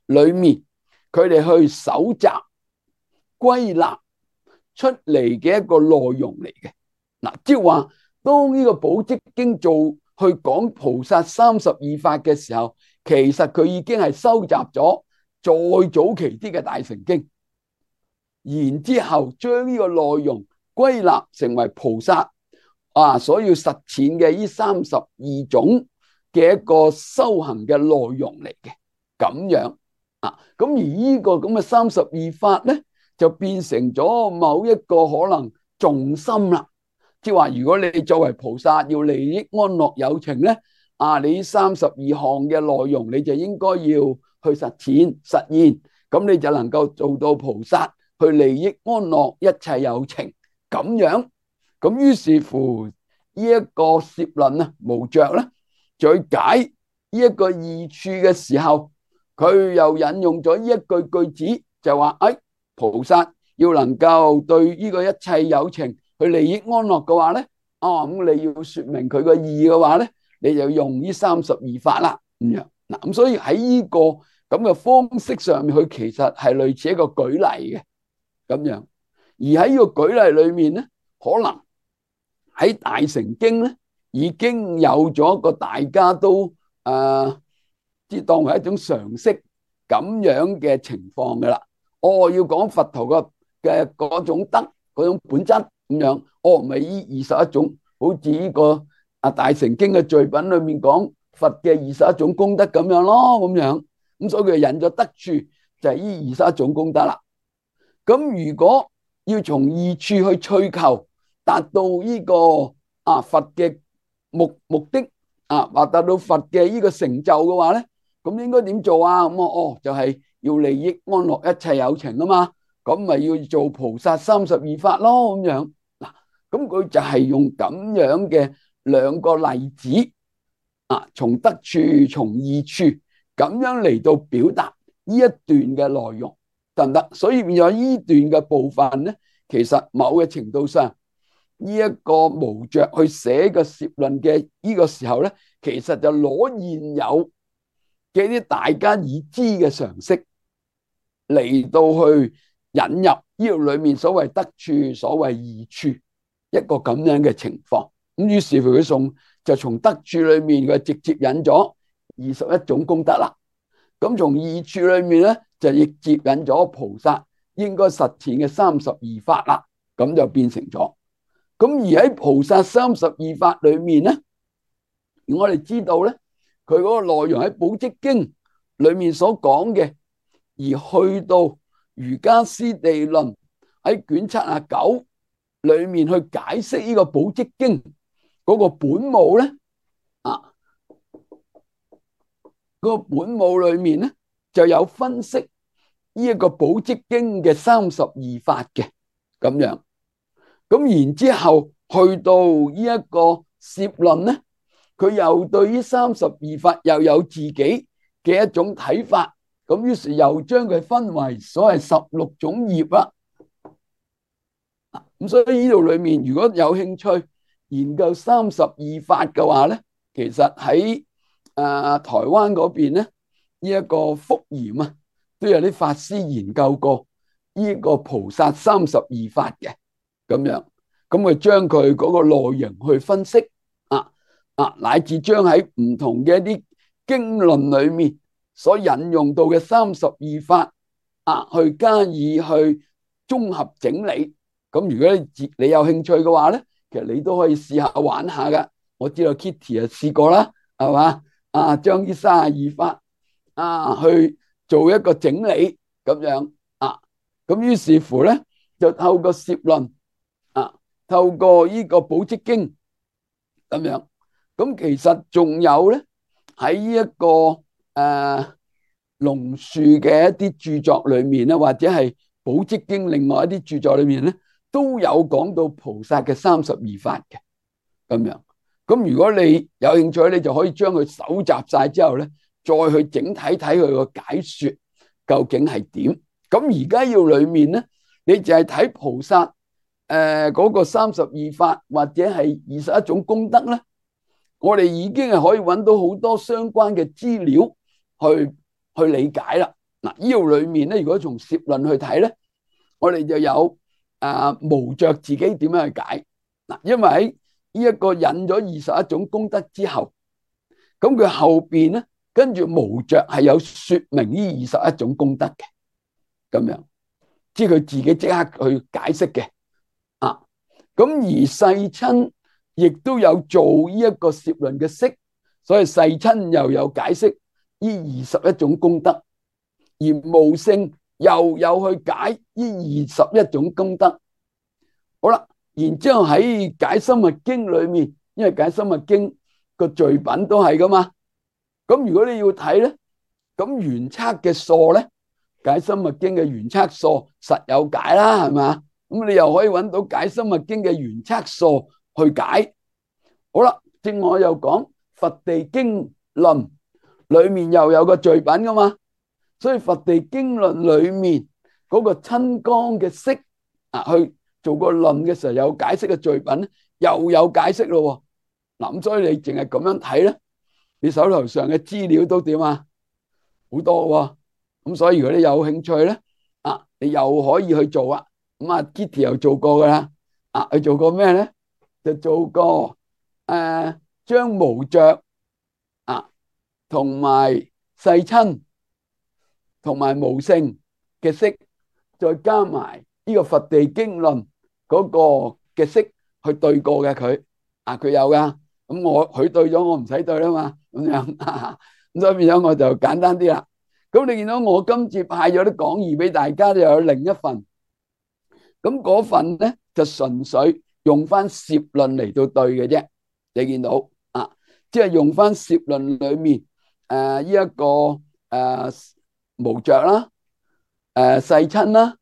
裏面，佢哋去搜集歸納出嚟嘅一個內容嚟嘅。即係話，當呢個寶積經做去講菩薩32法嘅時候，其實佢已經係收集咗再早期啲嘅大乘經，然之後將呢個內容歸納成為菩薩所要實踐嘅呢32種嘅一個修行嘅內容嚟嘅。咁樣咁而呢個咁嘅32法咧，就變成咗某一個可能重心啦。即係話，如果你作為菩薩要利益安樂有情咧，你32項嘅內容你就應該要去實現，咁你就能夠做到菩薩去利益安樂一切有情咁樣。咁於是乎呢一個攝論啊，無着咧，再解呢一個義處嘅時候，佢又引用咗呢一句子，就話菩薩要能夠對呢個一切有情去利益安樂嘅話咧，咁你要說明佢個義嘅話咧，你就用呢32法啦咁樣。嗱，咁所以喺呢個咁嘅方式上面，佢其實係類似一個舉例嘅咁樣。而喺呢個舉例裏面咧，可能喺大乘經咧已經有咗一個大家都即係當為一種常識咁樣嘅情況噶啦。要講佛陀嘅嗰種德嗰種本質咁樣，唔係呢21種，好似呢個大乘經嘅序品裏面講佛嘅21種功德咁樣咯，咁樣。咁所以佢引咗德處就係呢21種功德啦。咁如果要從義處去追求達到呢個佛嘅目的或達到佛嘅呢個成就嘅話咧，咁應該點做啊？咁就係要利益安樂一切有情啊嘛，咁咪要做菩薩32法咯咁樣。嗱，咁佢就係用咁樣嘅兩個例子從德處從義處咁樣嚟到表達呢一段嘅內容，得唔得？所以變咗呢段嘅部分咧，其實某嘅程度上呢一個無着去寫個攝論嘅呢個時候咧，其實就攞現有嘅啲大家已知嘅常識嚟到去引入呢度裏面所謂德處所謂義處一個咁樣嘅情況。咁於是乎佢就從德處裏面佢直接引咗21種功德啦。咁從義處裏面咧就亦接引咗菩薩應該實踐嘅32法啦。咁就變成咗。咁而喺菩薩32法裏面咧，我哋知道咧，佢嗰個內容喺《寶積經》裏面所講嘅，而去到《瑜伽師地論》喺卷79裏面去解釋呢個《寶積經》嗰個本母咧，嗰個本母裏面咧就有分析呢一個《寶積經》嘅32法嘅咁樣。咁然之後去到呢一個攝論咧，佢又對呢32法又有自己嘅一種睇法，咁於是又將佢分為所謂16種業啦。咁所以呢度裏面如果有興趣研究32法嘅話咧，其實喺台灣嗰邊咧，呢一個福嚴都有啲法師研究過呢個菩薩32法嘅咁樣。咁佢將佢嗰個內容去分析乃至將喺唔同嘅一啲經論裏面所引用到嘅32法去加以去綜合整理。咁如果你有興趣嘅話咧，其實你都可以試下玩下噶。我知道 Kitty 試過啦，係嘛？將呢32法去做一個整理咁樣咁於是乎咧就透過攝論透過呢個寶積經咁樣。咁其實仲有咧喺呢一個龍樹嘅一啲著作裏面咧，或者係寶積經另外一啲著作裏面咧，都有講到菩薩嘅32法嘅咁樣。咁如果你有興趣，你就可以將佢搜集晒之後咧，再去整體睇佢個解說究竟係點。咁而家要裏面咧，你就係睇菩薩嗰個32法或者係21種功德咧，我哋已經係可以揾到好多相關嘅資料去理解啦。嗱，呢度裏面咧，如果從攝論去睇咧，我哋就有無着自己點樣去解嗱，因為喺呢一個引咗21種功德之後，咁佢後邊咧跟住無着係有說明呢21種功德嘅咁樣，即係佢自己即刻去解釋嘅咁而世親亦都有做呢一個攝論嘅釋，所以世親又有解釋呢21種功德，而無聖又有去解呢21種功德。好啦，然之後喺解深密經裏面，因為解深密經個序品都係噶嘛，咁如果你要睇咧，咁原測嘅疏咧，解深密經嘅原測疏實有解啦，係嘛？咁你又可以揾到解深密經嘅原測疏去解。好啦，正我又講佛地經論裏面又有個序品噶嘛，所以佛地經論裏面嗰個親江嘅釋去做個論嘅時候有解釋嘅序品，又有解釋咯。嗱，咁所以你淨係咁樣睇咧，你手頭上嘅資料都點啊？好多喎。咁所以如果你有興趣咧，你又可以去做啊。咁Kitty 又做過噶啦，佢做過咩咧？就做過將無着同埋世親同埋無性嘅釋，再加埋呢個佛地經論嗰個嘅釋去對過嘅佢有噶。咁佢對咗，我唔使對啦嘛，咁樣咁所以變咗我就簡單啲啦。咁你見到我今次派咗啲講義俾大家，就有另一份。咁嗰份咧就純粹用翻攝論嚟到對嘅啫。你見到即係用翻攝論裏面呢一個無着啦、世親啦、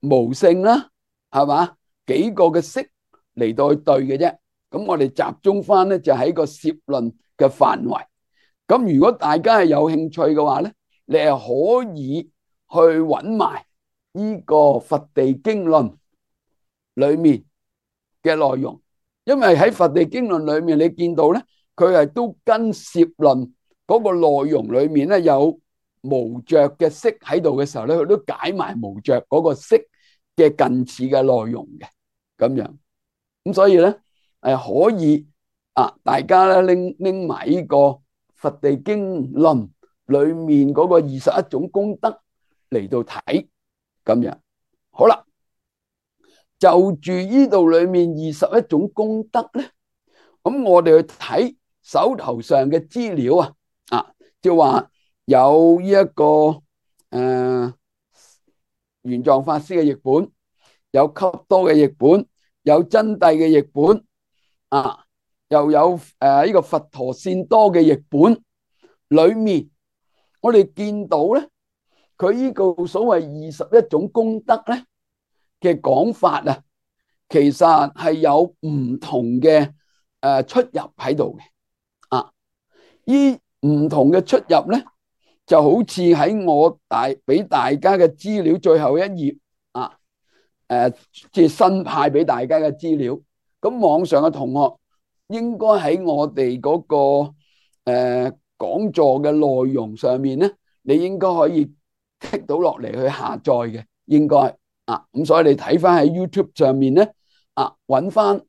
無性啦，係嘛？幾個嘅釋嚟到去對嘅啫。咁我哋集中翻咧就喺個攝論嘅範圍。咁如果大家係有興趣嘅話咧，你係可以去揾埋呢個佛地經論裏面嘅內容，因為喺佛地經論裏面你見到咧，佢係都跟攝論嗰個內容裏面咧有無着嘅釋喺度嘅時候咧，佢都解埋無着嗰個釋嘅近似嘅內容嘅咁樣。咁所以咧可以大家咧拎埋呢個佛地經論裏面嗰個21種功德嚟到睇咁樣。好啦，就住呢度裏面21種功德咧，咁我哋去睇手頭上嘅資料就話有呢一個玄奘法師嘅譯本，有笈多嘅譯本，有真諦嘅譯本又有呢個佛陀善多嘅譯本裏面，我哋見到咧，佢呢個所謂21種功德咧嘅講法其實係有唔同嘅出入喺度嘅呢唔同嘅出入咧，就好似喺我俾大家嘅資料最後一頁即係新派俾大家嘅資料。咁網上嘅同學應該喺我哋嗰個講座嘅內容上面咧，你應該可以剔到落嚟去下載嘅，應該咁所以你睇翻喺 YouTube 上面咧揾翻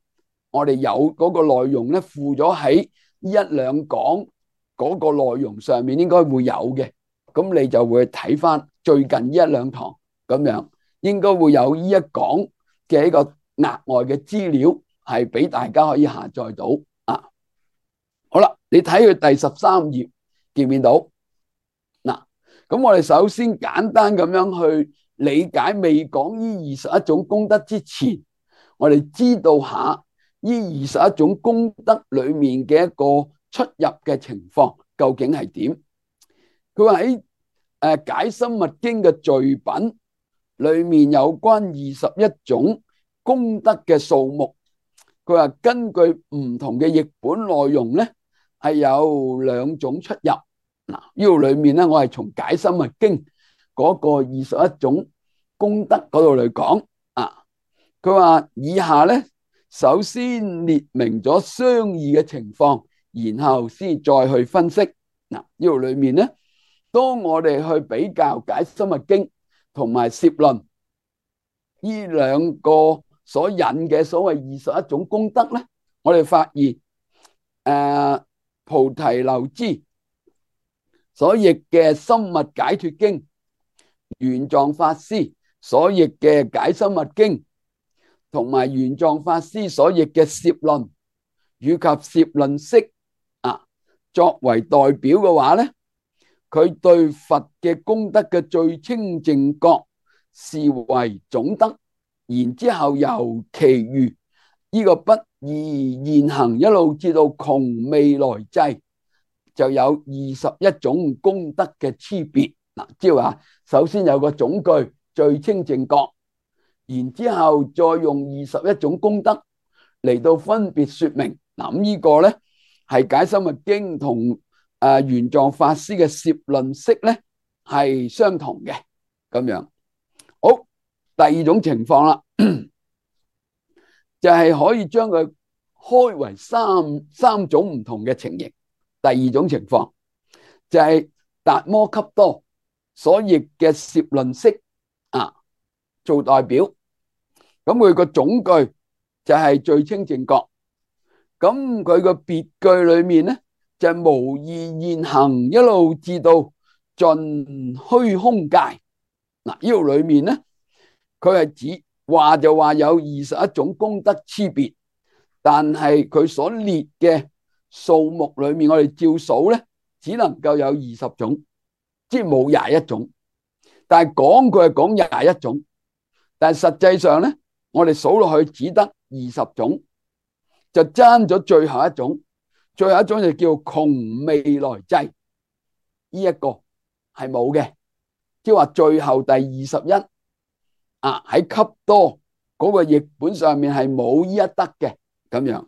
我哋有嗰個內容咧附咗喺一兩講嗰個內容上面，應該會有嘅。咁你就會睇翻最近一兩堂咁樣，應該會有呢一講嘅一個額外嘅資料係俾大家可以下載到好啦，你睇佢第13頁見唔見到咁我哋首先簡單咁樣去理解，未講呢21種功德之前，我哋知道下呢21種功德裏面嘅一個出入嘅情況究竟係點。佢話喺解深密經嘅序品裏面有關21種功德嘅數目，佢話根據唔同嘅譯本內容咧係有2種出入。呢度裏面咧，我係從解深密經嗰個21種功德嗰度嚟講佢話以下咧，首先列明咗相異嘅情況，然後先再去分析。呢度裏面咧，當我哋去比較解深密經同埋攝論呢兩個所引嘅所謂21種功德咧，我哋發現菩提流支所譯嘅深密解脫經，玄奘法師所譯嘅解深密經，同埋玄奘法師所譯嘅攝論以及攝論釋作為代表嘅話咧，佢對佛嘅功德嘅最清淨覺視為總德，然之後由其餘呢個不二現行一路至到窮未來際，就有21種功德嘅差別。嗱，即係話首先有個總句最清淨覺，然之後再用21種功德嚟到分別說明。嗱，咁呢個咧係解深密經同玄奘法師嘅攝論式咧係相同嘅咁樣。好，第二種情況啦，就係可以將佢開為三種唔同嘅情形。第二種情況就係達摩笈多所譯嘅攝論式做代表，咁佢個總句就係最清淨覺，咁佢個別句裏面咧就係無二現行一路至到盡虛空界。嗱，呢度裏面咧佢係指話就話有21種功德差別，但係佢所列嘅數目裏面，我哋照數咧只能夠有20種，即係冇21種。但係講佢係講21種，但係實際上咧，我哋數落去只得20種，就爭咗最後一種。最後一種就叫窮未來際，呢一個係冇嘅，即係話最後第21喺笈多嗰個譯本上面係冇呢一德嘅咁樣。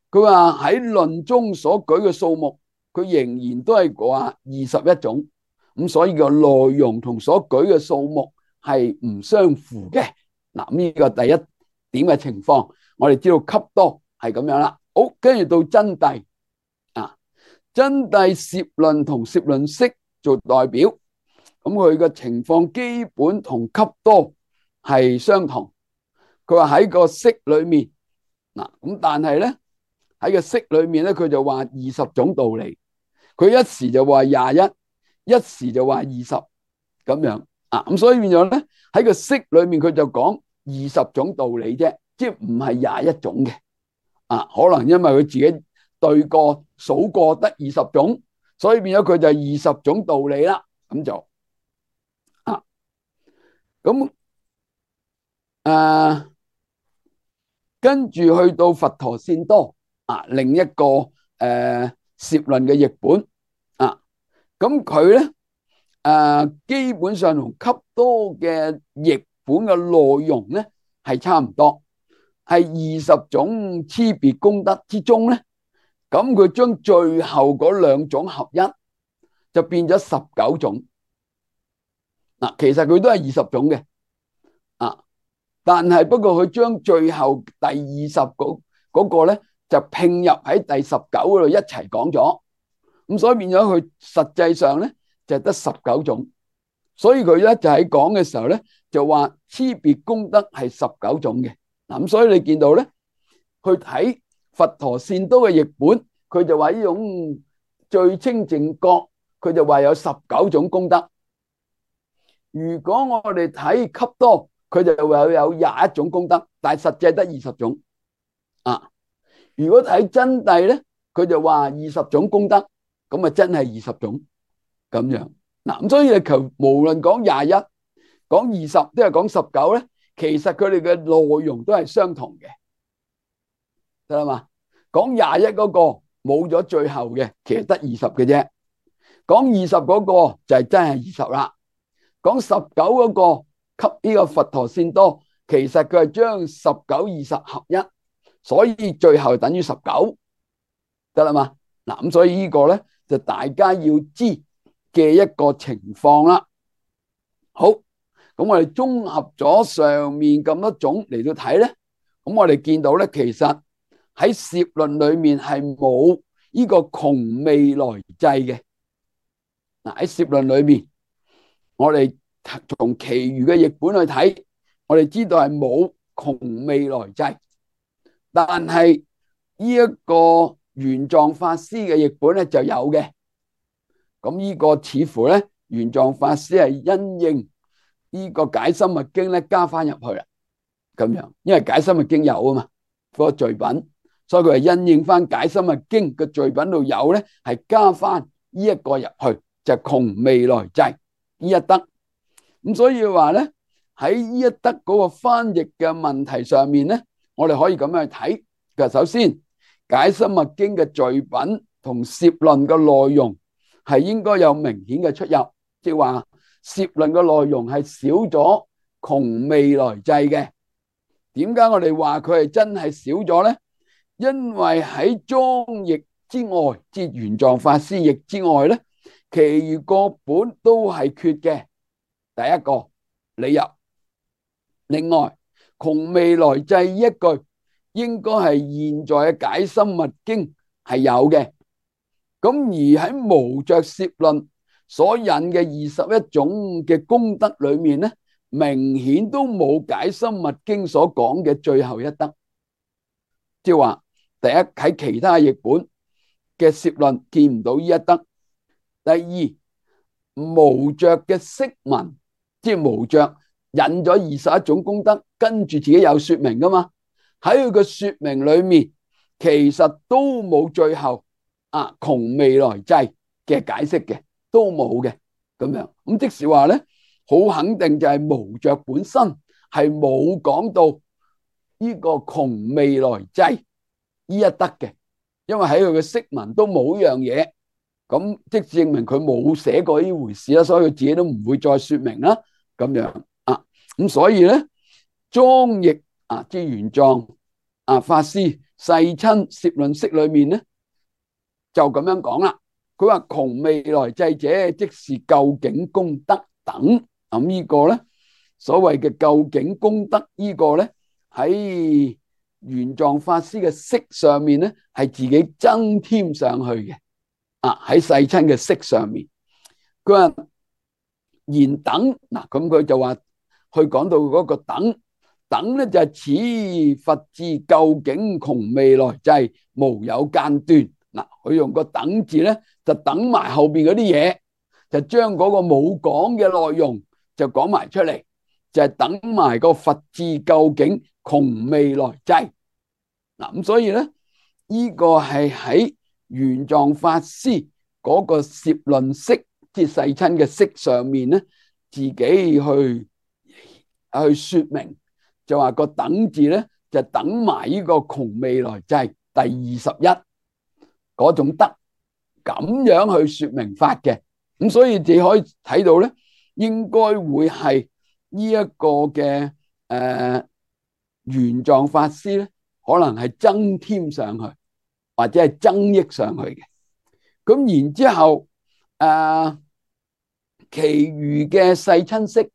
佢話喺論中所舉嘅數目，佢仍然都係話21種，咁所以個內容同所舉嘅數目係唔相符嘅。嗱，呢個第一點嘅情況，我哋知道笈多係咁樣啦。好，跟住到真諦真諦攝論同攝論式做代表，咁佢嘅情況基本同笈多係相同。佢話喺個式裏面咁但係咧喺個式裏面咧，佢就話20種道理，佢一時就話21，一時就話20咁樣咁所以變咗咧喺個式裏面佢就講20種道理啫，即係唔係21種嘅可能因為佢自己對過數過得20種，所以變咗佢就20種道理啦。咁就咁跟住去到佛陀善多另一個攝論嘅譯本咁佢咧基本上同笈多嘅譯本嘅內容咧係差唔多，係20種差別功德之中咧，咁佢將最後嗰2種合一，就變咗19種。其實佢都係20種嘅但係不過佢將最後第20嗰個咧就拼入喺第19嗰度一齊講咗，咁所以變咗佢實際上咧就得19種。所以佢咧就喺講嘅時候咧就話差別功德係19種嘅。咁所以你見到咧去睇佛陀善多嘅譯本，佢就話呢種最清淨覺，佢就話有19種功德。如果我哋睇笈多，佢就話有21種功德，但係實際得20種如果睇真諦咧，佢就話20種功德，咁真係20種咁樣。咁所以你求無論講21、講20都係講19咧，其實佢哋嘅內容都係相同嘅，得啦嘛？講21嗰個冇咗最後嘅，其實得20嘅啫。講20嗰個就係真係20啦。講19嗰個給呢個佛陀善多，其實佢係將19、20合一，所以最後等於19，得啦嘛？咁所以呢個咧就大家要知嘅一個情況啦。好，咁我哋綜合咗上面咁多種嚟到睇咧，咁我哋見到咧，其實喺攝論裏面係冇呢個窮未來際嘅。喺攝論裏面，我哋從其餘嘅譯本去睇，我哋知道係冇窮未來際，但係呢一個玄奘法師嘅譯本咧就有嘅。咁呢個似乎咧玄奘法師係因應呢個解深密經咧加翻入去啦，咁樣，因為解深密經有啊嘛嗰個序品，所以佢係因應翻解深密經嘅序品度有咧，係加翻呢一個入去，就窮未來際呢一德。咁所以話咧喺呢一德嗰個翻譯嘅問題上面咧，我哋可以咁樣去睇。嘅首先，解深密經嘅序品同攝論嘅內容係應該有明顯嘅出入，即係話攝論嘅內容係少咗窮未來際嘅。點解我哋話佢係真係少咗咧？因為喺莊譯之外，即係玄奘法師譯之外咧，其餘各本都係缺嘅。第一個理由。另外，窮未來際一句應該係現在嘅解深密經係有嘅。咁而喺無着攝論所引嘅21種嘅功德裏面咧，明顯都冇解深密經所講嘅最後一德。即係話，第一，喺其他譯本嘅攝論見唔到呢一德。第二，無着嘅釋文，即係無着引咗21種功德，跟住自己有說明噶嘛。喺佢嘅說明裏面，其實都冇最後窮未來際嘅解釋嘅，都冇嘅咁樣。咁即是話咧，好肯定就係無着本身係冇講到呢個窮未來際呢一德嘅，因為喺佢嘅釋文都冇呢樣嘢，咁即證明佢冇寫過呢回事啦，所以佢自己都唔會再說明啦，咁樣咁所以咧，莊譯即係玄奘法師世親攝論釋裏面咧就咁樣講啦。佢話窮未來際者，即是究竟功德等。咁呢個咧，所謂嘅究竟功德呢個咧，喺玄奘法師嘅釋上面咧係自己增添上去嘅。喺世親嘅釋上面，佢話言等嗱，咁佢就話去講到嗰個等咧就係此佛智究竟窮未來際無有間斷。嗱，佢用個等字咧就等埋後邊嗰啲嘢，就將嗰個冇講嘅內容就講埋出嚟，就係等埋個佛智究竟窮未來際。嗱，咁所以咧呢個係喺玄奘法師嗰個攝論釋，即係世親嘅釋上面咧，自己去說明，就話個等字咧就等埋呢個窮未來際第21嗰種德，咁樣去說明法嘅。咁所以你可以睇到咧，應該會係呢一個嘅玄奘法師咧，可能係增添上去，或者係增益上去嘅。咁然之後其餘嘅世親釋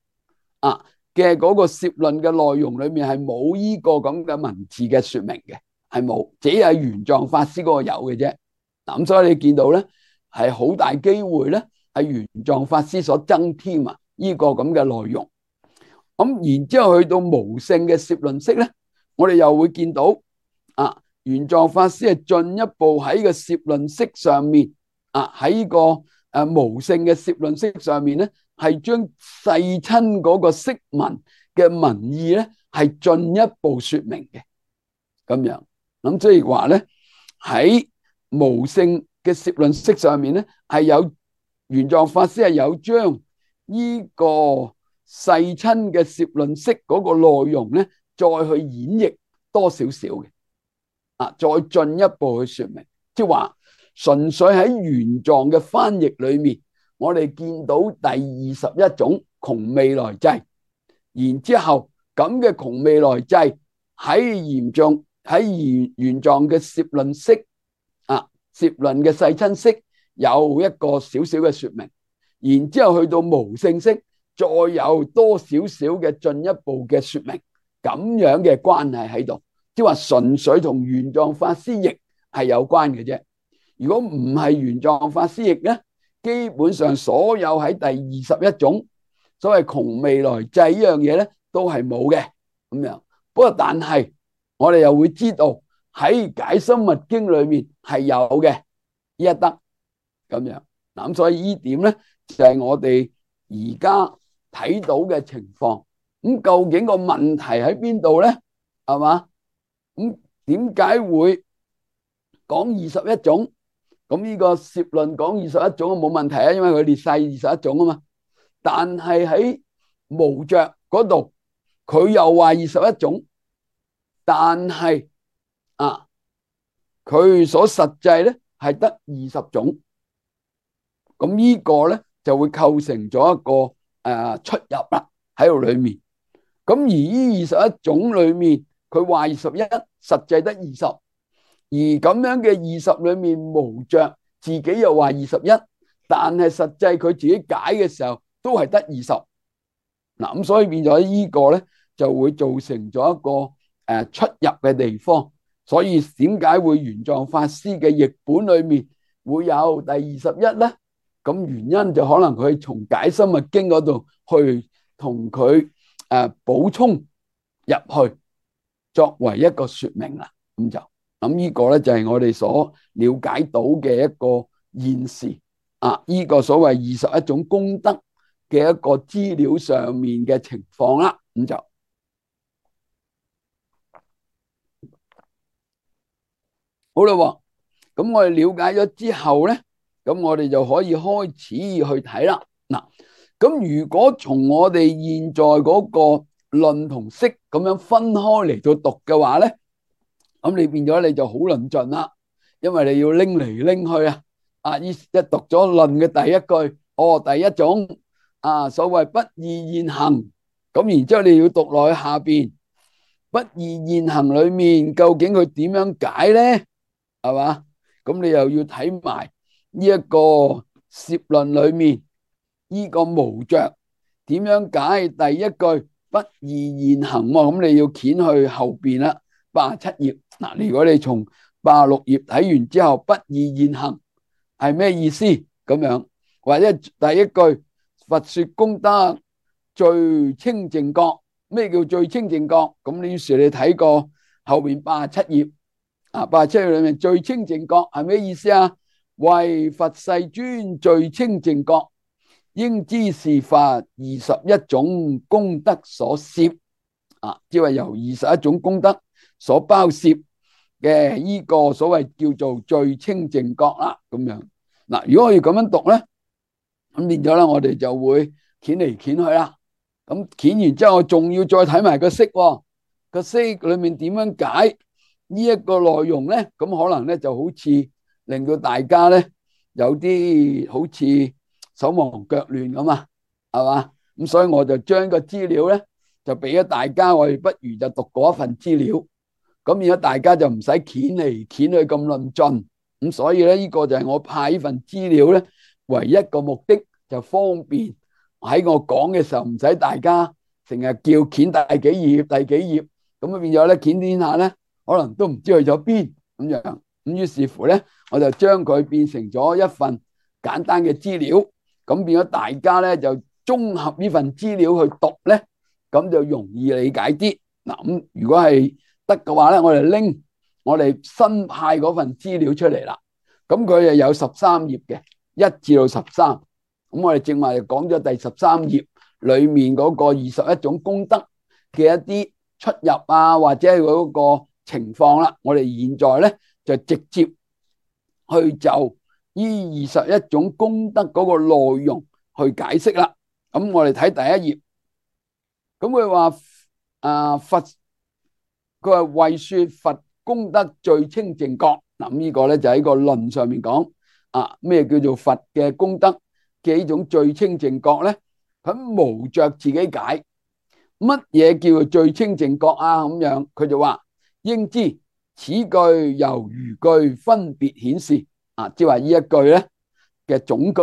嘅嗰個攝論嘅內容裏面係冇呢個咁嘅文字嘅說明嘅，係冇，只係玄奘法師嗰個有嘅啫。咁所以你見到咧，係好大機會咧，係玄奘法師所增添呢個咁嘅內容。咁然之後去到無性嘅攝論釋咧，我哋又會見到玄奘法師係進一步喺個攝論釋上面喺呢個無性嘅攝論釋上面咧，係將世親嗰個釋文嘅文意咧係進一步說明嘅，咁樣。咁即係話咧，喺無性嘅攝論釋上面咧，係有玄奘法師係有將呢個世親嘅攝論釋嗰個內容咧，再去演繹多少少嘅，再進一步去說明，即係話純粹喺玄奘嘅翻譯裏面，我哋見到第21種窮未來際，然之後咁嘅窮未來際喺玄奘嘅攝論釋攝論嘅世親釋有一個少少嘅說明，然之後去到無性釋再有多少少嘅進一步嘅說明，咁樣嘅關係喺度，即係話純粹同玄奘法師譯係有關嘅啫。如果唔係玄奘法師譯咧，基本上所有喺第21種所謂窮未來際呢樣嘢咧，都係冇嘅咁樣。不過但係我哋又會知道喺解深密經裏面係有嘅呢一德咁樣。咁所以呢點咧就係我哋而家睇到嘅情況。咁究竟個問題喺邊度咧？係嘛？咁點解會講21種？咁呢個攝論講21種都冇問題啊，因為佢列晒21種啊嘛。但係喺無着嗰度佢又話21種，但係佢所實際咧係得20種，咁呢個咧就會構成咗一個出入啦喺度裏面。咁而呢21種裏面，佢話21，實際得20，而咁樣嘅20裏面，無着自己又話21，但係實際佢自己解嘅時候都係得20。嗱，咁所以變咗呢個咧就會造成咗一個出入嘅地方。所以點解會玄奘法師嘅譯本裏面會有第21咧？咁原因就可能佢從解深密經嗰度去同佢補充入去，作為一個說明啦。咁呢個咧就係我哋所了解到嘅一個現時呢個所謂21種功德嘅一個資料上面嘅情況啦。好啦，咁我哋了解咗之後咧，咁我哋就可以開始去睇啦。嗱，咁如果從我哋現在嗰個論同釋咁樣分開嚟到讀嘅話咧，咁你變咗你就好論盡啦，因為你要拎嚟拎去一讀咗論嘅第一句，第一種所謂不二現行，咁然之後你要讀落去下邊不二現行裏面究竟佢點樣解咧？係嘛？咁你又要睇埋呢一個攝論裏面呢個無着點樣解第一句不二現行，咁你要掀去後邊啦，87頁。嗱，如果你從86頁睇完之後，不二現行係咩意思？咁樣或者第一句佛說功德最清淨覺，咩叫最清淨覺？咁你於是你睇過後邊87頁。87頁裏面最清淨覺係咩意思啊？為佛世尊最清淨覺，應知是佛21種功德所攝，即係由21種功德所包攝嘅呢個所謂叫做最清淨覺啦。咁樣嗱，如果我要咁樣讀咧，咁變咗咧，我哋就會掀嚟掀去啦。咁掀完之後，我仲要再睇埋個釋，個釋裏面點樣解呢一個內容咧？咁可能咧就好似令到大家咧有啲好似手忙腳亂咁啊，係嘛？咁所以我就將個資料咧就俾咗大家，我哋不如就讀嗰一份資料，咁而家大家就唔使掀嚟掀去咁論盡。咁所以咧呢個就係我派呢份資料咧唯一個目的，就方便喺我講嘅時候唔使大家成日叫掀第幾頁第幾頁，咁變咗咧掀天下咧可能都唔知去咗邊咁樣。咁於是乎咧，我就將佢變成咗一份簡單嘅資料，咁變咗大家咧就綜合呢份資料去讀咧，咁就容易理解啲。嗱，咁如果係得嘅話咧，我哋拎我哋新派嗰份資料出嚟啦。咁佢又有13頁嘅，1至到13。咁我哋正話就講咗第13頁裏面嗰個21種功德嘅一啲出入或者係嗰個情況啦。我哋現在咧就直接去就呢21種功德嗰個內容去解釋啦。咁我哋睇第一頁，咁佢話佛，佢話為說佛功德最清淨覺。嗱，呢個咧就喺個論上面講咩叫做佛嘅功德嘅呢種最清淨覺咧？佢無着自己解乜嘢叫做最清淨覺咁樣，佢就話應知此句由餘句分別顯示即係話呢一句咧嘅總句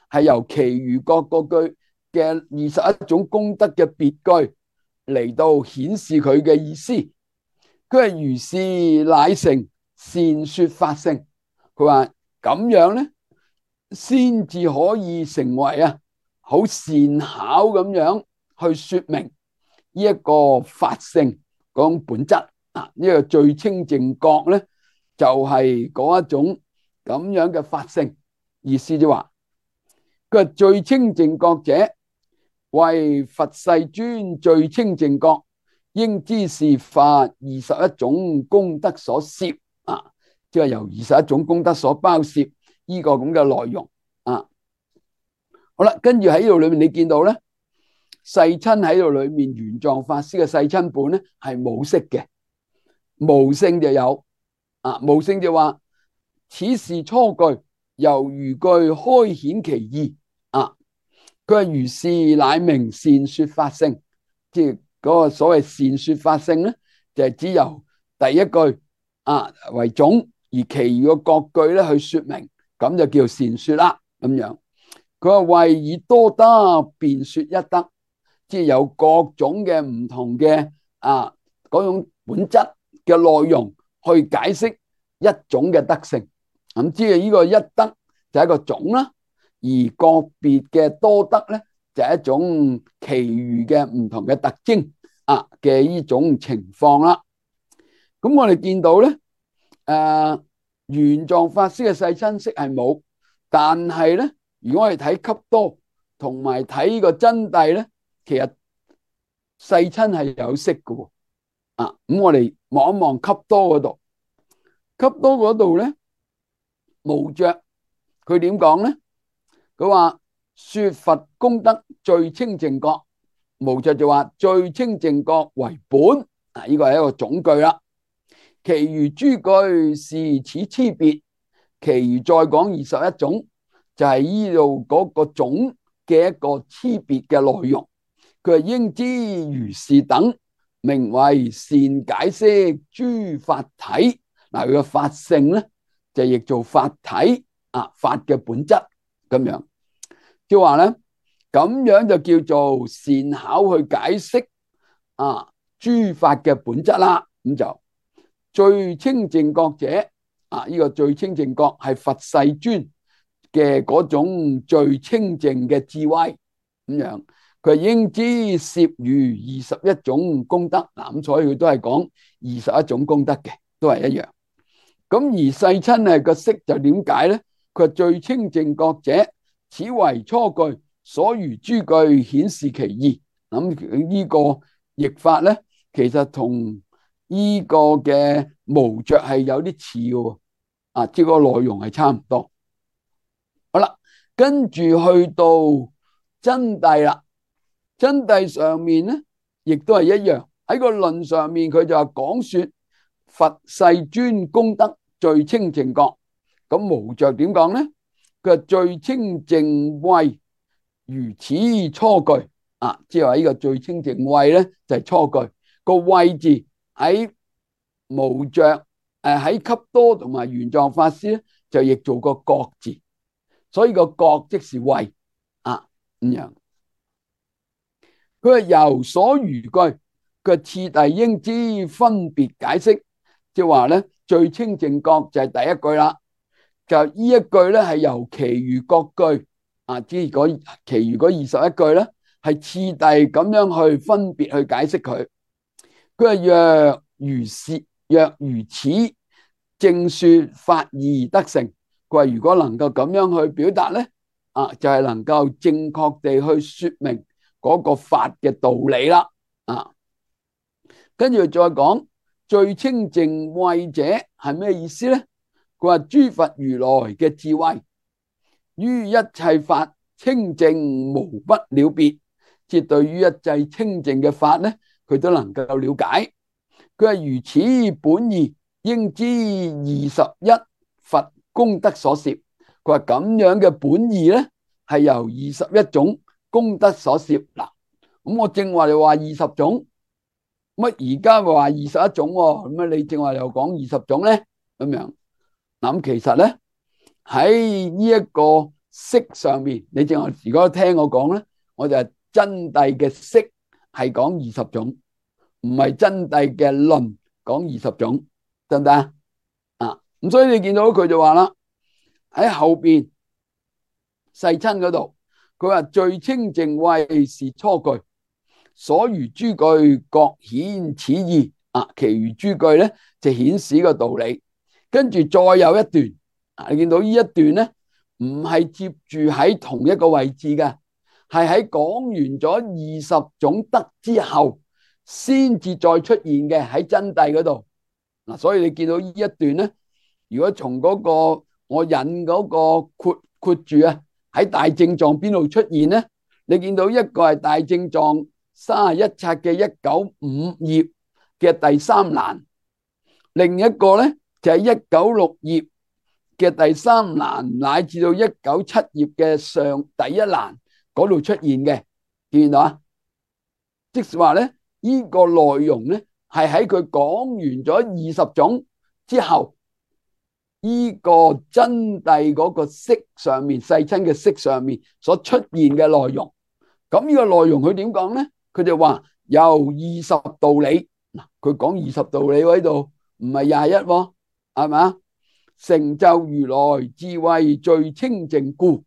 係由其餘各個句嘅21種功德嘅別句嚟到顯示佢嘅意思。佢係如是乃成善說法性。佢話咁樣咧先至可以成為好善巧咁樣去說明呢一個法性嗰種本質。呢個最清淨覺咧就係嗰一種咁樣嘅法性。意思就話佢係最清淨覺者，為佛世尊最清淨覺，應知是佛21種功德所攝。即係由21種功德所包攝呢個咁嘅內容。好啦，跟住喺呢度裏面你見到咧，世親喺度裏面，玄奘法師嘅世親本咧係冇釋嘅，無聖就有。無聖就話此是初句，由餘句開顯其意。佢話如是乃名善說法性，即係嗰個所謂善說法性咧，就係只由第一句為總，而其餘嘅各句咧去說明，咁就叫善說啦。咁樣佢話為以多德辯說一德，即係有各種嘅唔同嘅嗰種本質嘅內容去解釋一種嘅德性。咁即係呢個一德就係一個總啦，而個別嘅多德咧就係一種其餘嘅唔同嘅特徵嘅呢種情況啦。咁我哋見到咧，玄奘法師嘅世親釋係冇，但係咧，如果我哋睇笈多同埋睇呢個真諦咧，其實世親係有釋嘅。咁我哋望一望笈多嗰度，笈多嗰度咧，無着佢點講咧？佢話說佛功德最清淨覺，無着就話最清淨覺為本。呢個係一個總句啦。其餘諸句是此差別，其餘再講21種，就係呢度嗰個總嘅一個差別嘅內容。佢係應知如是等，名為善解釋諸法體。佢嘅法性咧就譯做法體，法嘅本質咁樣。即係話咧，咁樣就叫做善巧去解釋諸法嘅本質啦。咁就最清淨覺者，呢個最清淨覺係佛世尊嘅嗰種最清淨嘅智慧咁樣。佢應知攝餘21種功德。咁所以佢都係講21種功德嘅，都係一樣。咁而世親係個釋就點解咧？佢最清淨覺者，此為初句，所餘諸句顯示其意。咁呢個譯法咧，其實同呢個嘅無着係有啲似嘅，即係個內容係差唔多。好啦，跟住去到真諦啦。真諦上面咧，亦都係一樣。喺個論上面，佢就話講說佛世尊功德最清淨覺。咁無着點講咧？佢話最清淨慧如此初句。即係話呢個最清淨慧咧，就係初句。個慧字喺無着喺笈多同埋玄奘法師咧，就譯做個覺字。所以個覺即是慧咁樣。佢話由所餘句，佢次第應知分別解釋。即係話咧，最清淨覺就係第一句啦。就呢一句咧，係由其餘各句即係嗰其餘嗰21句咧，係次第咁樣去分別去解釋佢。佢話若如此正說法義德性。佢話如果能夠咁樣去表達咧，就係能夠正確地去說明嗰個法嘅道理啦。跟住再講最清淨慧者係咩意思咧？佢話諸佛如來嘅智慧於一切法清淨無不了別，即係對於一切清淨嘅法咧，佢都能夠了解。佢話如此本義，應知21佛功德所攝。佢話咁樣嘅本義咧，係由21種功德所攝。嗱，咁我正話你話20種，乜而家話21種喎？咁你正話又講20種咧？咁樣嗱，咁其實咧喺呢一個釋上面，你正話如果聽我講咧，我就係真諦嘅釋係講20種，唔係真諦嘅論講20種，得唔得啊？咁所以你見到佢就話啦，喺後邊世親嗰度，佢話最清淨慧是初句，所餘諸句各顯此意。其餘諸句咧就顯示個道理。跟住再有一段，你見到呢一段咧，唔係接住喺同一個位置嘅，係喺講完咗20種德之後，先至再出現嘅喺真諦嗰度。所以你見到呢一段咧，如果從嗰個我引嗰個括住喺大正藏邊度出現咧，你見到一個係大正藏31冊嘅195頁嘅第3欄，另一個咧就係196頁嘅第3欄，乃至到197頁嘅第1欄嗰度出現嘅，見到啊？即是話咧，呢個內容咧係喺佢講完咗20種之後，呢個真諦嗰個釋上面，世親嘅釋上面所出現嘅內容。咁呢個內容佢點講咧？佢就話由20道理，嗱，佢講20道理喺度，唔係21喎，係咪啊？成就如來智慧最清淨故，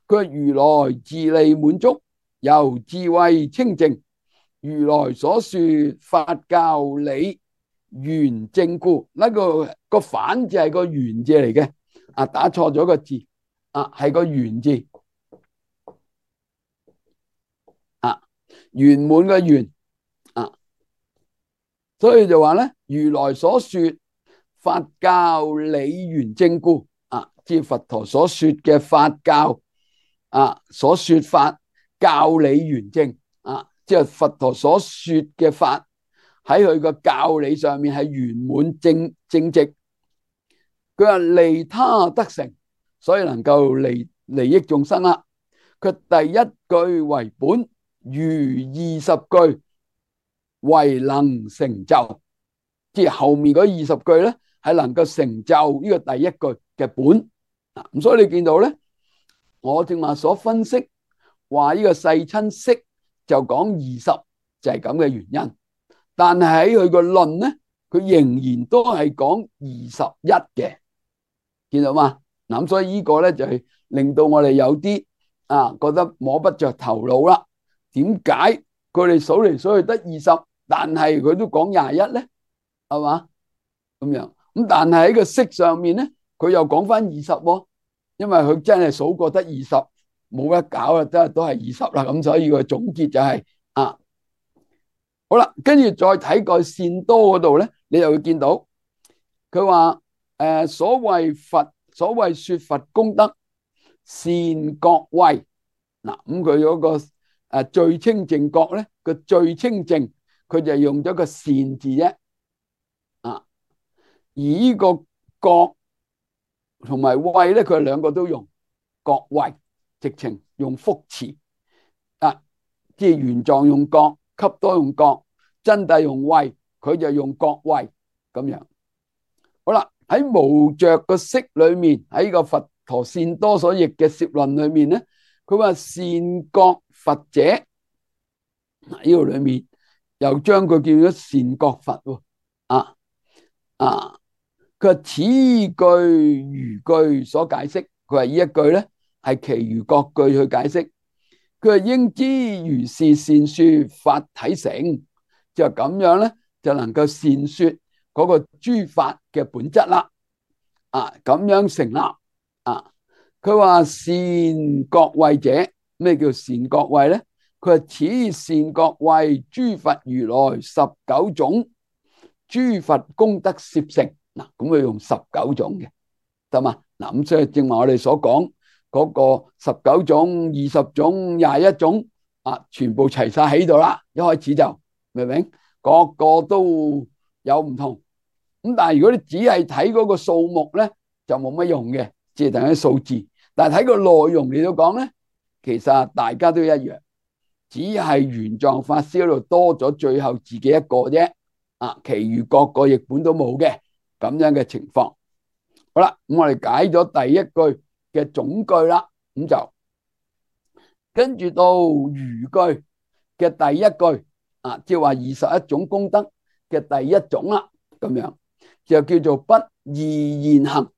佢話如來自利滿足，由智慧清淨，如來所說法教理圓正故。呢個反字係個圓字嚟嘅，啊，打錯咗個字，啊，係個圓字，啊，圓滿嘅圓，啊，所以就話咧，如來所說法教理圓正故，啊，即係佛陀所說嘅法教，啊，所說法教理圓正，啊，即係佛陀所說嘅法喺佢個教理上面係圓滿正直。佢話利他得成，所以能夠利益眾生啦。佢第一句為本，餘20句為能成就，即係後面嗰20句咧係能夠成就呢個第一句嘅本。咁所以你見到咧，我正話所分析話呢個世親釋就講20，就係咁嘅原因。但係喺佢個論咧，佢仍然都係講21嘅，見到嘛？咁所以呢個咧就係令到我哋有啲覺得摸不着頭腦啦。點解佢哋數嚟數去得20，但係佢都講21咧？係嘛？咁樣咁，但係喺個釋上面咧，佢又講翻20喎，因為佢真係數過得20，冇得搞啦，都係20啦。咁所以個總結就係好啦，跟住再睇個善多嗰度咧，你又會見到佢話所謂說佛功德善覺慧，嗱，咁佢嗰個最清淨覺咧，個最清淨佢就用咗個善字啫，而呢個覺同埋慧咧，佢兩個都用覺慧，直情用福詞，即係原狀用覺，笈多用覺，真諦用慧，佢就用覺慧咁樣。好啦，喺無着個釋裏面，喺個佛陀善多所譯嘅攝論裏面咧，佢話善覺佛者，呢度裏面又將佢叫咗善覺佛喎，佢話此句餘句所解釋，佢話呢一句咧係其餘各句去解釋。佢話應知如是善說法體成，就咁樣咧就能夠善說嗰個諸法嘅本質啦。咁樣成立。佢話善覺慧者，咩叫善覺慧咧？佢話此善覺慧諸佛如來19種諸佛功德攝成。嗱，咁佢用19種嘅，得嘛？嗱，咁所以正話我哋所講嗰個19種、20種、21種，全部齊晒喺度啦。一開始就明唔明？個個都有唔同。咁但係如果你只係睇嗰個數目咧，就冇乜用嘅，即係等於數字。但係睇個內容嚟到講咧，其實大家都一樣，只係玄奘法師嗰度多咗最後自己一個啫。其餘各個譯本都冇嘅。咁樣嘅情況。好啦，咁我哋解咗第一句嘅總句啦，咁就跟住到餘句嘅第一句，即係話21種功德嘅第一種啦，咁樣就叫做不二現行。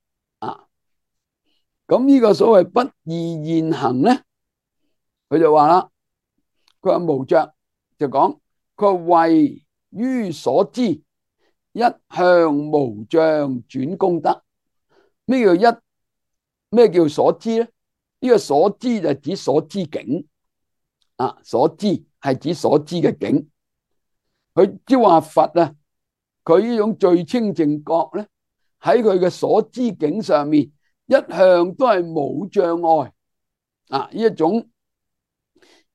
咁呢個所謂不二現行咧，佢就話啦，佢話無着就講，佢話慧於所知，一向無障轉功德。咩叫所知咧？呢個所知就係指所知境，所知係指所知嘅境。佢即係話佛啊，佢呢種最清淨覺咧，喺佢嘅所知境上面，一向都係冇障礙。呢一種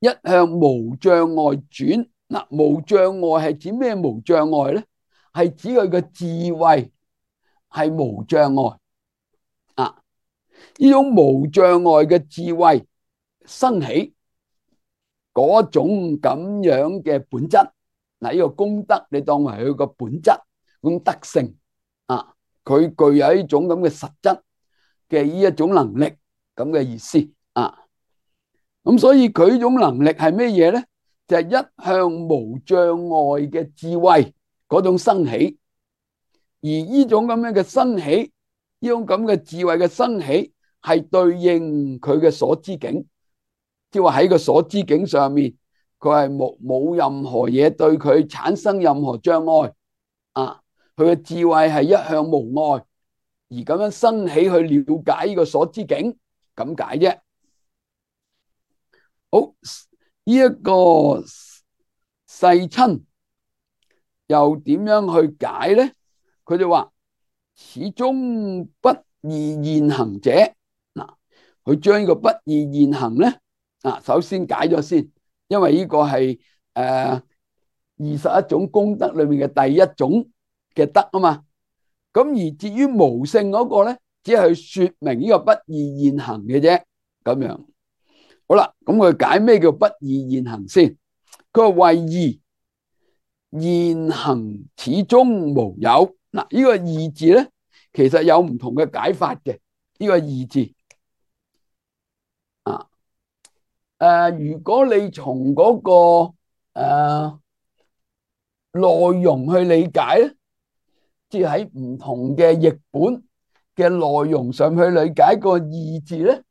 一向無障礙轉。嗱，無障礙係指咩無障礙咧？係指佢嘅智慧係無障礙啊！呢種無障礙嘅智慧生起嗰種咁樣嘅本質，嗱，呢個功德你當為佢個本質，嗰種德性啊，佢具有一種咁嘅實質嘅呢一種能力咁嘅意思啊。咁所以佢呢種能力係咩嘢咧？就係一向無障礙嘅智慧嗰種生起，而呢種咁樣嘅生起，呢種咁嘅智慧嘅生起，係對應佢嘅所知境，即係話喺個所知境上面，佢係冇任何嘢對佢產生任何障礙啊！佢嘅智慧係一向無礙，而咁樣生起去了解呢個所知境，咁解啫。好，呢一個世親又點樣去解咧？佢就話始終不異現行者。嗱，佢將呢個不異現行咧，首先解咗先，因為呢個係21種功德裏面嘅第一種嘅德啊嘛。咁而至於無性嗰個咧，只係去說明呢個不異現行嘅啫。咁樣好啦，咁佢解咩叫不異現行先？佢話為異現行始終無有。嗱，呢個異字咧，其實有唔同嘅解法嘅。呢個異字如果你從嗰個內容去理解咧，即係喺唔同嘅譯本嘅內容上去理解個異字咧，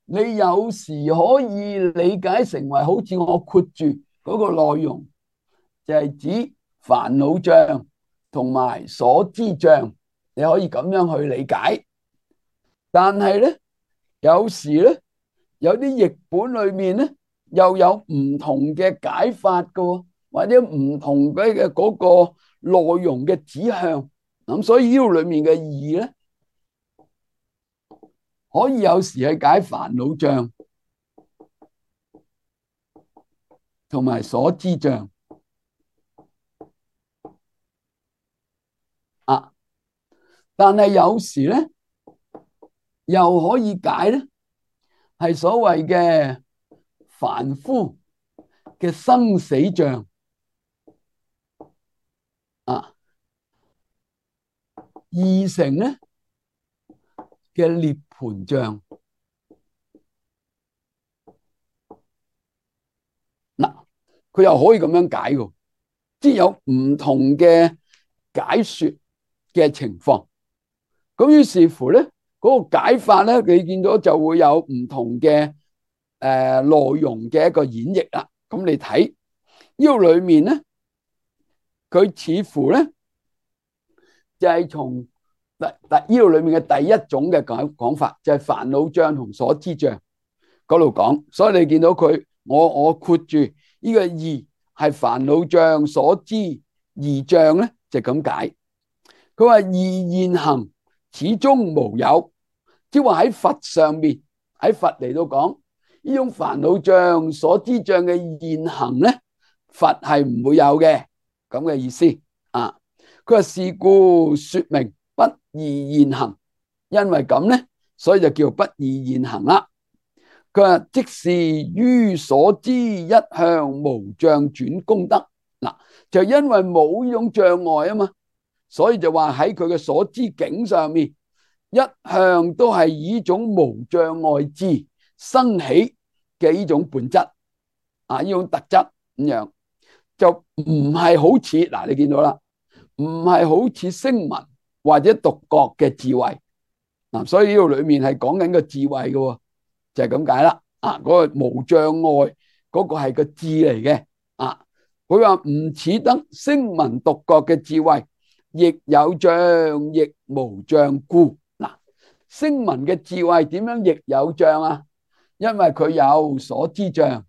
你有時可以理解成為好似我括住嗰個內容，就係指煩惱障同埋所知障，你可以咁樣去理解。但係咧，有時咧，有啲譯本裏面咧，又有唔同嘅解法㗎，或者唔同嘅嗰個內容嘅指向。咁所以呢度裏面嘅義咧，可以有時係解煩惱障同埋所知障啊，但係有時咧又可以解咧，係所謂嘅凡夫嘅生死障啊，二乘咧嘅涅槃障。嗱，佢又可以咁樣解嘅，即係有唔同嘅解說嘅情況。咁於是乎咧，嗰個解法咧，你見到就會有唔同嘅內容嘅一個演繹啦。咁你睇呢個裏面咧，佢似乎咧就係從呢度裏面嘅第一種嘅講法，就係煩惱障同所知障嗰度講。所以你見到佢，我括住呢個異係煩惱障所知異障咧，就咁解。佢話異現行始終無有，即係話喺佛上面，喺佛嚟到講呢種煩惱障所知障嘅現行咧，佛係唔會有嘅，咁嘅意思啊。佢話是故說明不異現行，因為咁咧，所以就叫不異現行啦。佢話即是於所知一向無障轉功德。嗱，就因為冇呢種障礙啊嘛，所以就話喺佢嘅所知境上面，一向都係以呢種無障礙智生起嘅呢種本質啊，呢種特質咁樣，就唔係好似嗱，你見到啦，唔係好似聲聞或者獨覺嘅智慧嗱，所以呢度裏面係講緊個智慧嘅，就係咁解啦。啊，嗰個無障礙嗰個係個智嚟嘅啊。佢話唔似得聲聞獨覺嘅智慧，亦有障亦無障故。嗱，聲聞嘅智慧點樣亦有障啊？因為佢有所知障，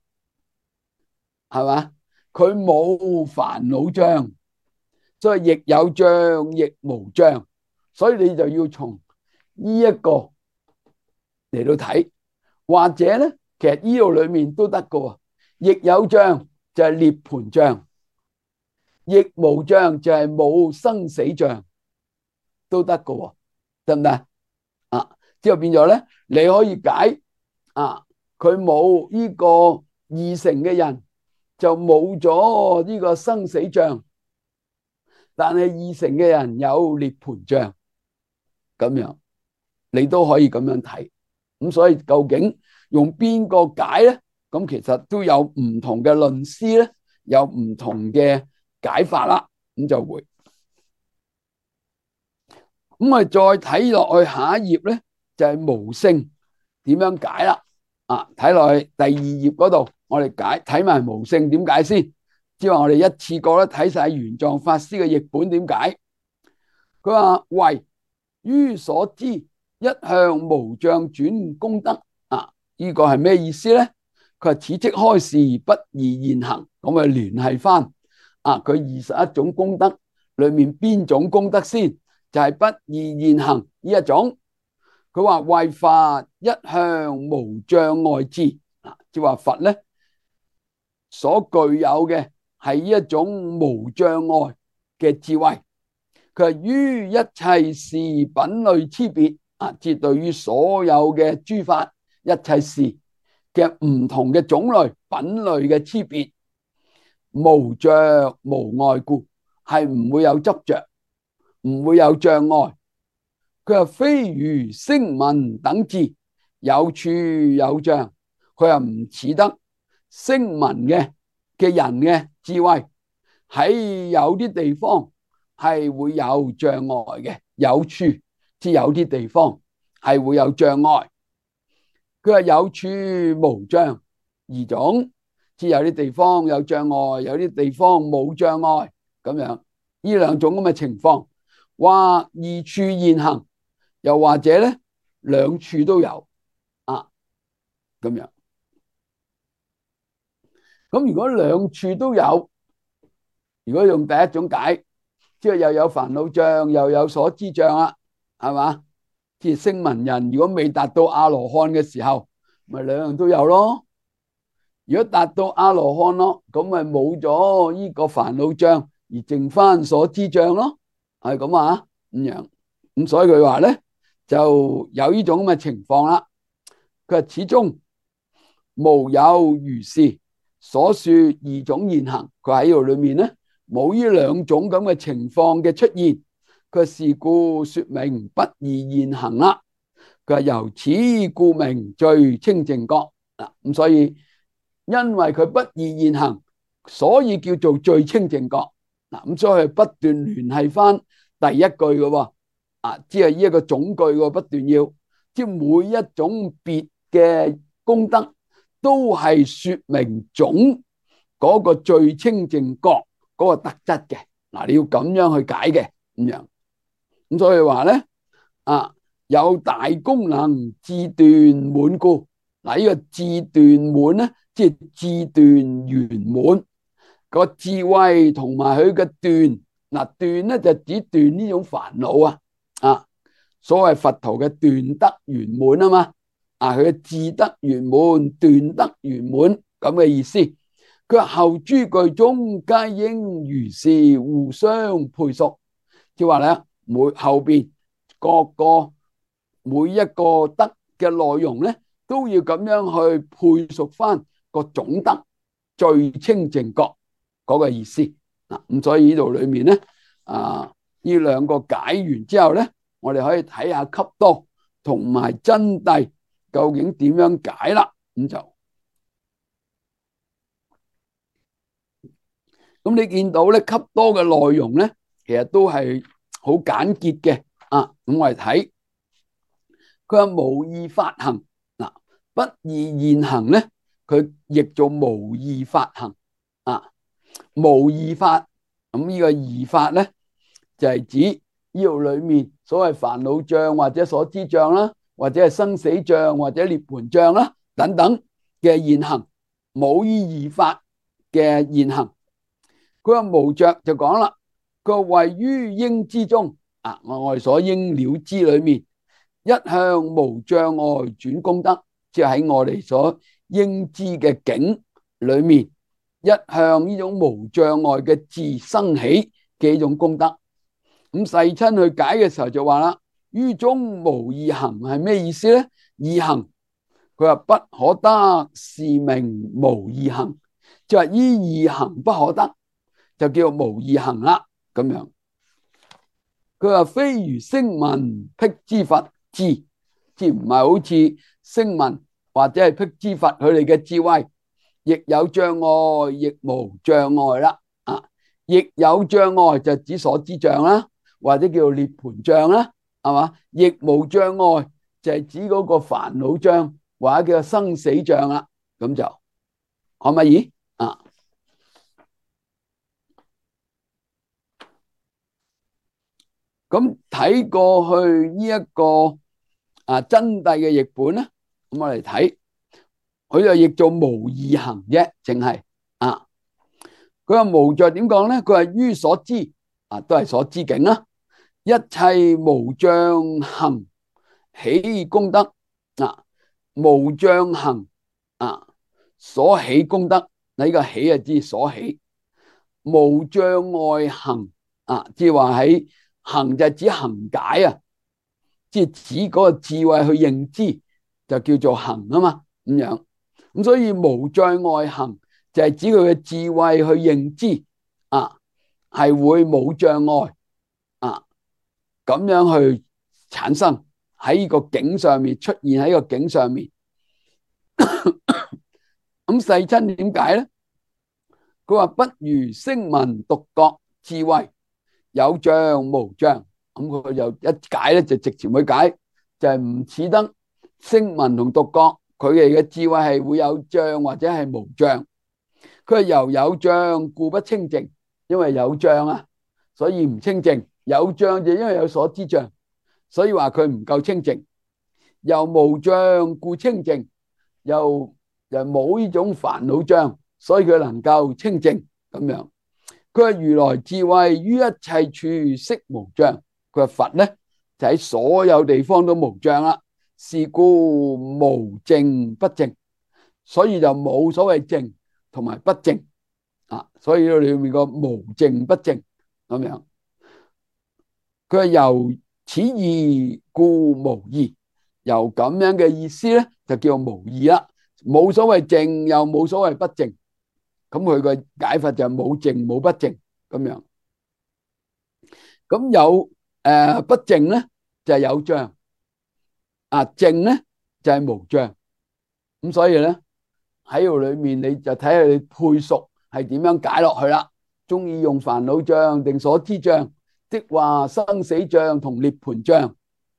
係嘛？佢冇煩惱障，所以亦有障亦無障。所以你就要從呢一個嚟到睇，或者咧，其實呢度裏面都得㗎。亦有障就係涅槃障，亦無障就係冇生死障都得㗎，得唔得啊？之後變咗咧，你可以解啊，佢冇呢個二乘嘅人就冇咗呢個生死障，但係二乘嘅人有涅槃障，咁樣你都可以咁樣睇。咁所以究竟用邊個解咧？咁其實都有唔同嘅論師咧，有唔同嘅解法啦。咁就會咁我哋再睇落去下一頁咧，就係無性點樣解啦。啊，睇落去第二頁嗰度，我哋睇埋無性點解先。即係話我哋一次過咧睇晒玄奘法師嘅譯本點解。佢話唯於所知一向無障轉功德啊，呢個係咩意思咧？佢話此即開示不二現行，咁啊聯繫翻啊佢21種功德裏面邊種功德先？就係不二現行呢一種。佢話為法一向無障礙智啊，即係話佛咧所具有嘅係一種無障礙嘅智慧。佢係於一切事品類差別啊，即係對於所有嘅諸法一切事嘅唔同嘅種類品類嘅差別，無着無礙故，係唔會有執着，唔會有障礙。佢話非如聲聞等智有處有障，佢話唔似得聲聞嘅人嘅智慧喺有啲地方係會有障礙嘅，有處即有啲地方係會有障礙。佢話有處無障二種，即有啲地方有障礙，有啲地方冇障礙咁樣。呢兩種咁嘅情況，或二處現行，又或者咧兩處都有啊咁樣。咁如果兩處都有，如果用第一種解，即係又有煩惱障又有所知障啦，係嘛？即係聲聞人如果未達到阿羅漢嘅時候，咪兩樣都有咯。如果達到阿羅漢咯，咁咪冇咗呢個煩惱障，而剩翻所知障咯，係咁啊咁樣。咁所以佢話咧就有呢種咁嘅情況啦。佢話始終無有如是所說二種現行，佢喺呢度裏面咧冇呢兩種咁嘅情況嘅出現。佢是故說明不二現行啦。佢話由此故名最清淨覺嗱，咁所以因為佢不二現行，所以叫做最清淨覺嗱。咁所以不斷聯繫翻第一句嘅喎啊，即係呢一個總句喎，不斷要即係每一種別嘅功德都係說明總嗰個最清淨覺嗰個特質嘅嗱，你要咁樣去解嘅咁樣。咁所以話咧啊，有大功能智斷滿故嗱，呢個智斷滿咧，即係智斷圓滿個智慧同埋佢嘅斷嗱，斷咧就指斷呢種煩惱啊，所謂佛陀嘅斷得圓滿啊嘛啊，佢嘅智得圓滿，斷得圓滿咁嘅意思。佢話後諸句中皆應如是互相配屬，即係話咧後邊各個每一個德嘅內容咧，都要咁樣去配屬翻個總德最清淨覺嗰個意思嗱。咁所以呢度裏面咧呢兩個解完之後咧，我哋可以睇下笈多同埋真諦究竟點樣解啦。咁你見到咧笈多嘅內容咧，其實都係好簡潔嘅啊。咁我哋睇佢話無異法行嗱，不二現行咧，佢譯做無異法行啊。無異法咁呢個異法咧，就係指呢度裏面所謂煩惱障或者所知障啦，或者係生死障或者涅槃障啦等等嘅現行，冇依異法嘅現行。佢話無着就講啦，佢話位於應知中啊，我哋所應了知裏面一向無障礙轉功德，即係喺我哋所應知嘅境裏面一向呢種無障礙嘅智生起嘅一種功德。咁世親去解嘅時候就話啦，於中無二行係咩意思咧？二行佢話不可得，是名無二行，就係依二行不可得，就叫無二行啦。咁樣佢話非如聲聞辟支佛智，即唔係好似聲聞或者係辟支佛佢哋嘅智慧，亦有障礙，亦無障礙啦。亦有障礙就指所知障啦，或者叫做涅槃障啦，係嘛？亦無障礙就係指嗰個煩惱障，或者叫做生死障啦。咁就可唔可以？咁睇過去呢一個真諦嘅譯本咧，咁我嚟睇，佢就譯做無二行啫，淨係佢話無著點講咧？佢話於所知都係所知境啦，一切無障行起功德無障行所起功德，呢個起就知所起，無障礙行即係話喺行就指行解即係指嗰個智慧去認知，就叫做行啊嘛，咁樣。咁所以無障礙行就係指佢嘅智慧去認知係會冇障礙咁樣去產生喺呢個境上面，出現喺個境上面。咁世親點解咧？佢話不如聲聞獨覺智慧有障無障，咁佢就一解咧就直接去解，就係唔似得聲聞同獨覺佢哋嘅智慧係會有障或者係無障。佢係由有障故不清淨，因為有障所以唔清淨。有障就因為有所知障，所以話佢唔夠清淨。又無障故清淨，又冇呢種煩惱障，所以佢能夠清淨咁樣。佢係如來智慧於一切處悉無障。佢話佛咧就喺所有地方都無障啦，是故無淨不淨，所以就冇所謂淨同埋不淨所以裏面個無淨不淨咁樣。佢係由此義故無異，由咁樣嘅意思咧就叫無異啦，冇所謂淨又冇所謂不淨，咁佢個解法就冇淨冇不淨咁樣。咁有不淨咧就係有障淨咧就係無障。咁所以咧喺度裏面你就睇下你配熟係點樣解落去啦。中意用煩惱障定所知障，即話生死障同涅槃障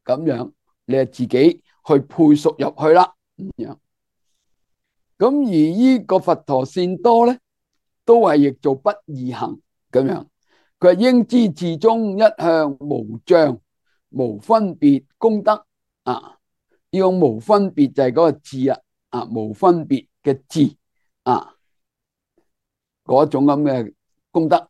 咁樣，你係自己去配熟入去啦。咁而呢個佛陀善多咧，都係譯做不二行咁樣。佢係應知自中一向無障無分別功德呢種無分別就係嗰個智無分別嘅智嗰種咁嘅功德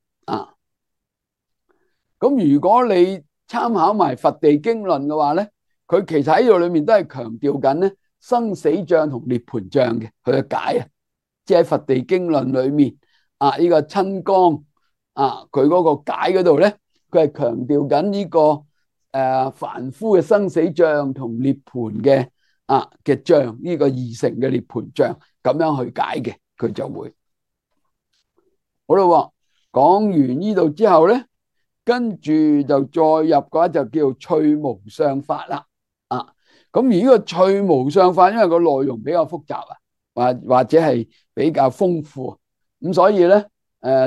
咁如果你參考埋佛地經論嘅話咧，佢其實喺度裏面都係強調緊咧生死障同涅槃障嘅佢嘅解即係喺佛地經論裏面呢個親江佢嗰個解嗰度咧，佢係強調緊呢個凡夫嘅生死障同涅槃嘅障，呢個二乘嘅涅槃障咁樣去解嘅，佢就會好啦。講完呢度之後咧，跟住就再入嘅話就叫趣無相法啦咁而呢個趣無相法，因為個內容比較複雜或者係比較豐富，咁所以咧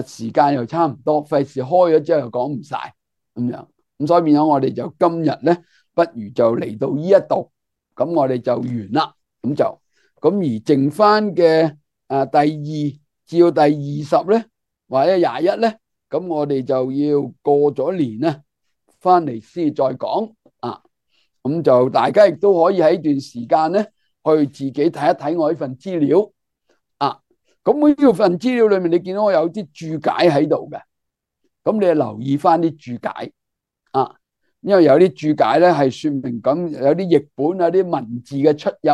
時間又差唔多，費事開咗之後又講唔晒咁樣，咁所以變咗我哋就今日咧，不如就嚟到呢一度，咁我哋就完啦。咁而剩翻嘅第2至到第20咧，或者21咧，咁我哋就要過咗年咧，翻嚟先再講咁就大家亦都可以喺呢段時間咧，去自己睇一睇我呢份資料咁呢份資料裏面，你見到我有啲注解喺度嘅，咁你留意翻啲注解因為有啲注解咧係說明咁有啲譯本有啲文字嘅出入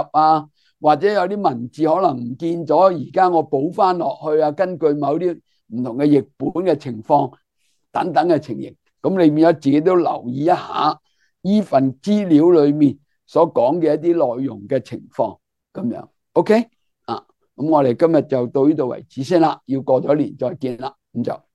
或者有啲文字可能唔見咗，而家我補翻落去啊，根據某啲唔同嘅譯本嘅情況等等嘅情形，咁你變咗自己都留意一下呢份資料裏面所講嘅一啲內容嘅情況咁樣。OK 啊，咁我哋今日就到呢度為止先啦，要過咗年再見啦，咁就。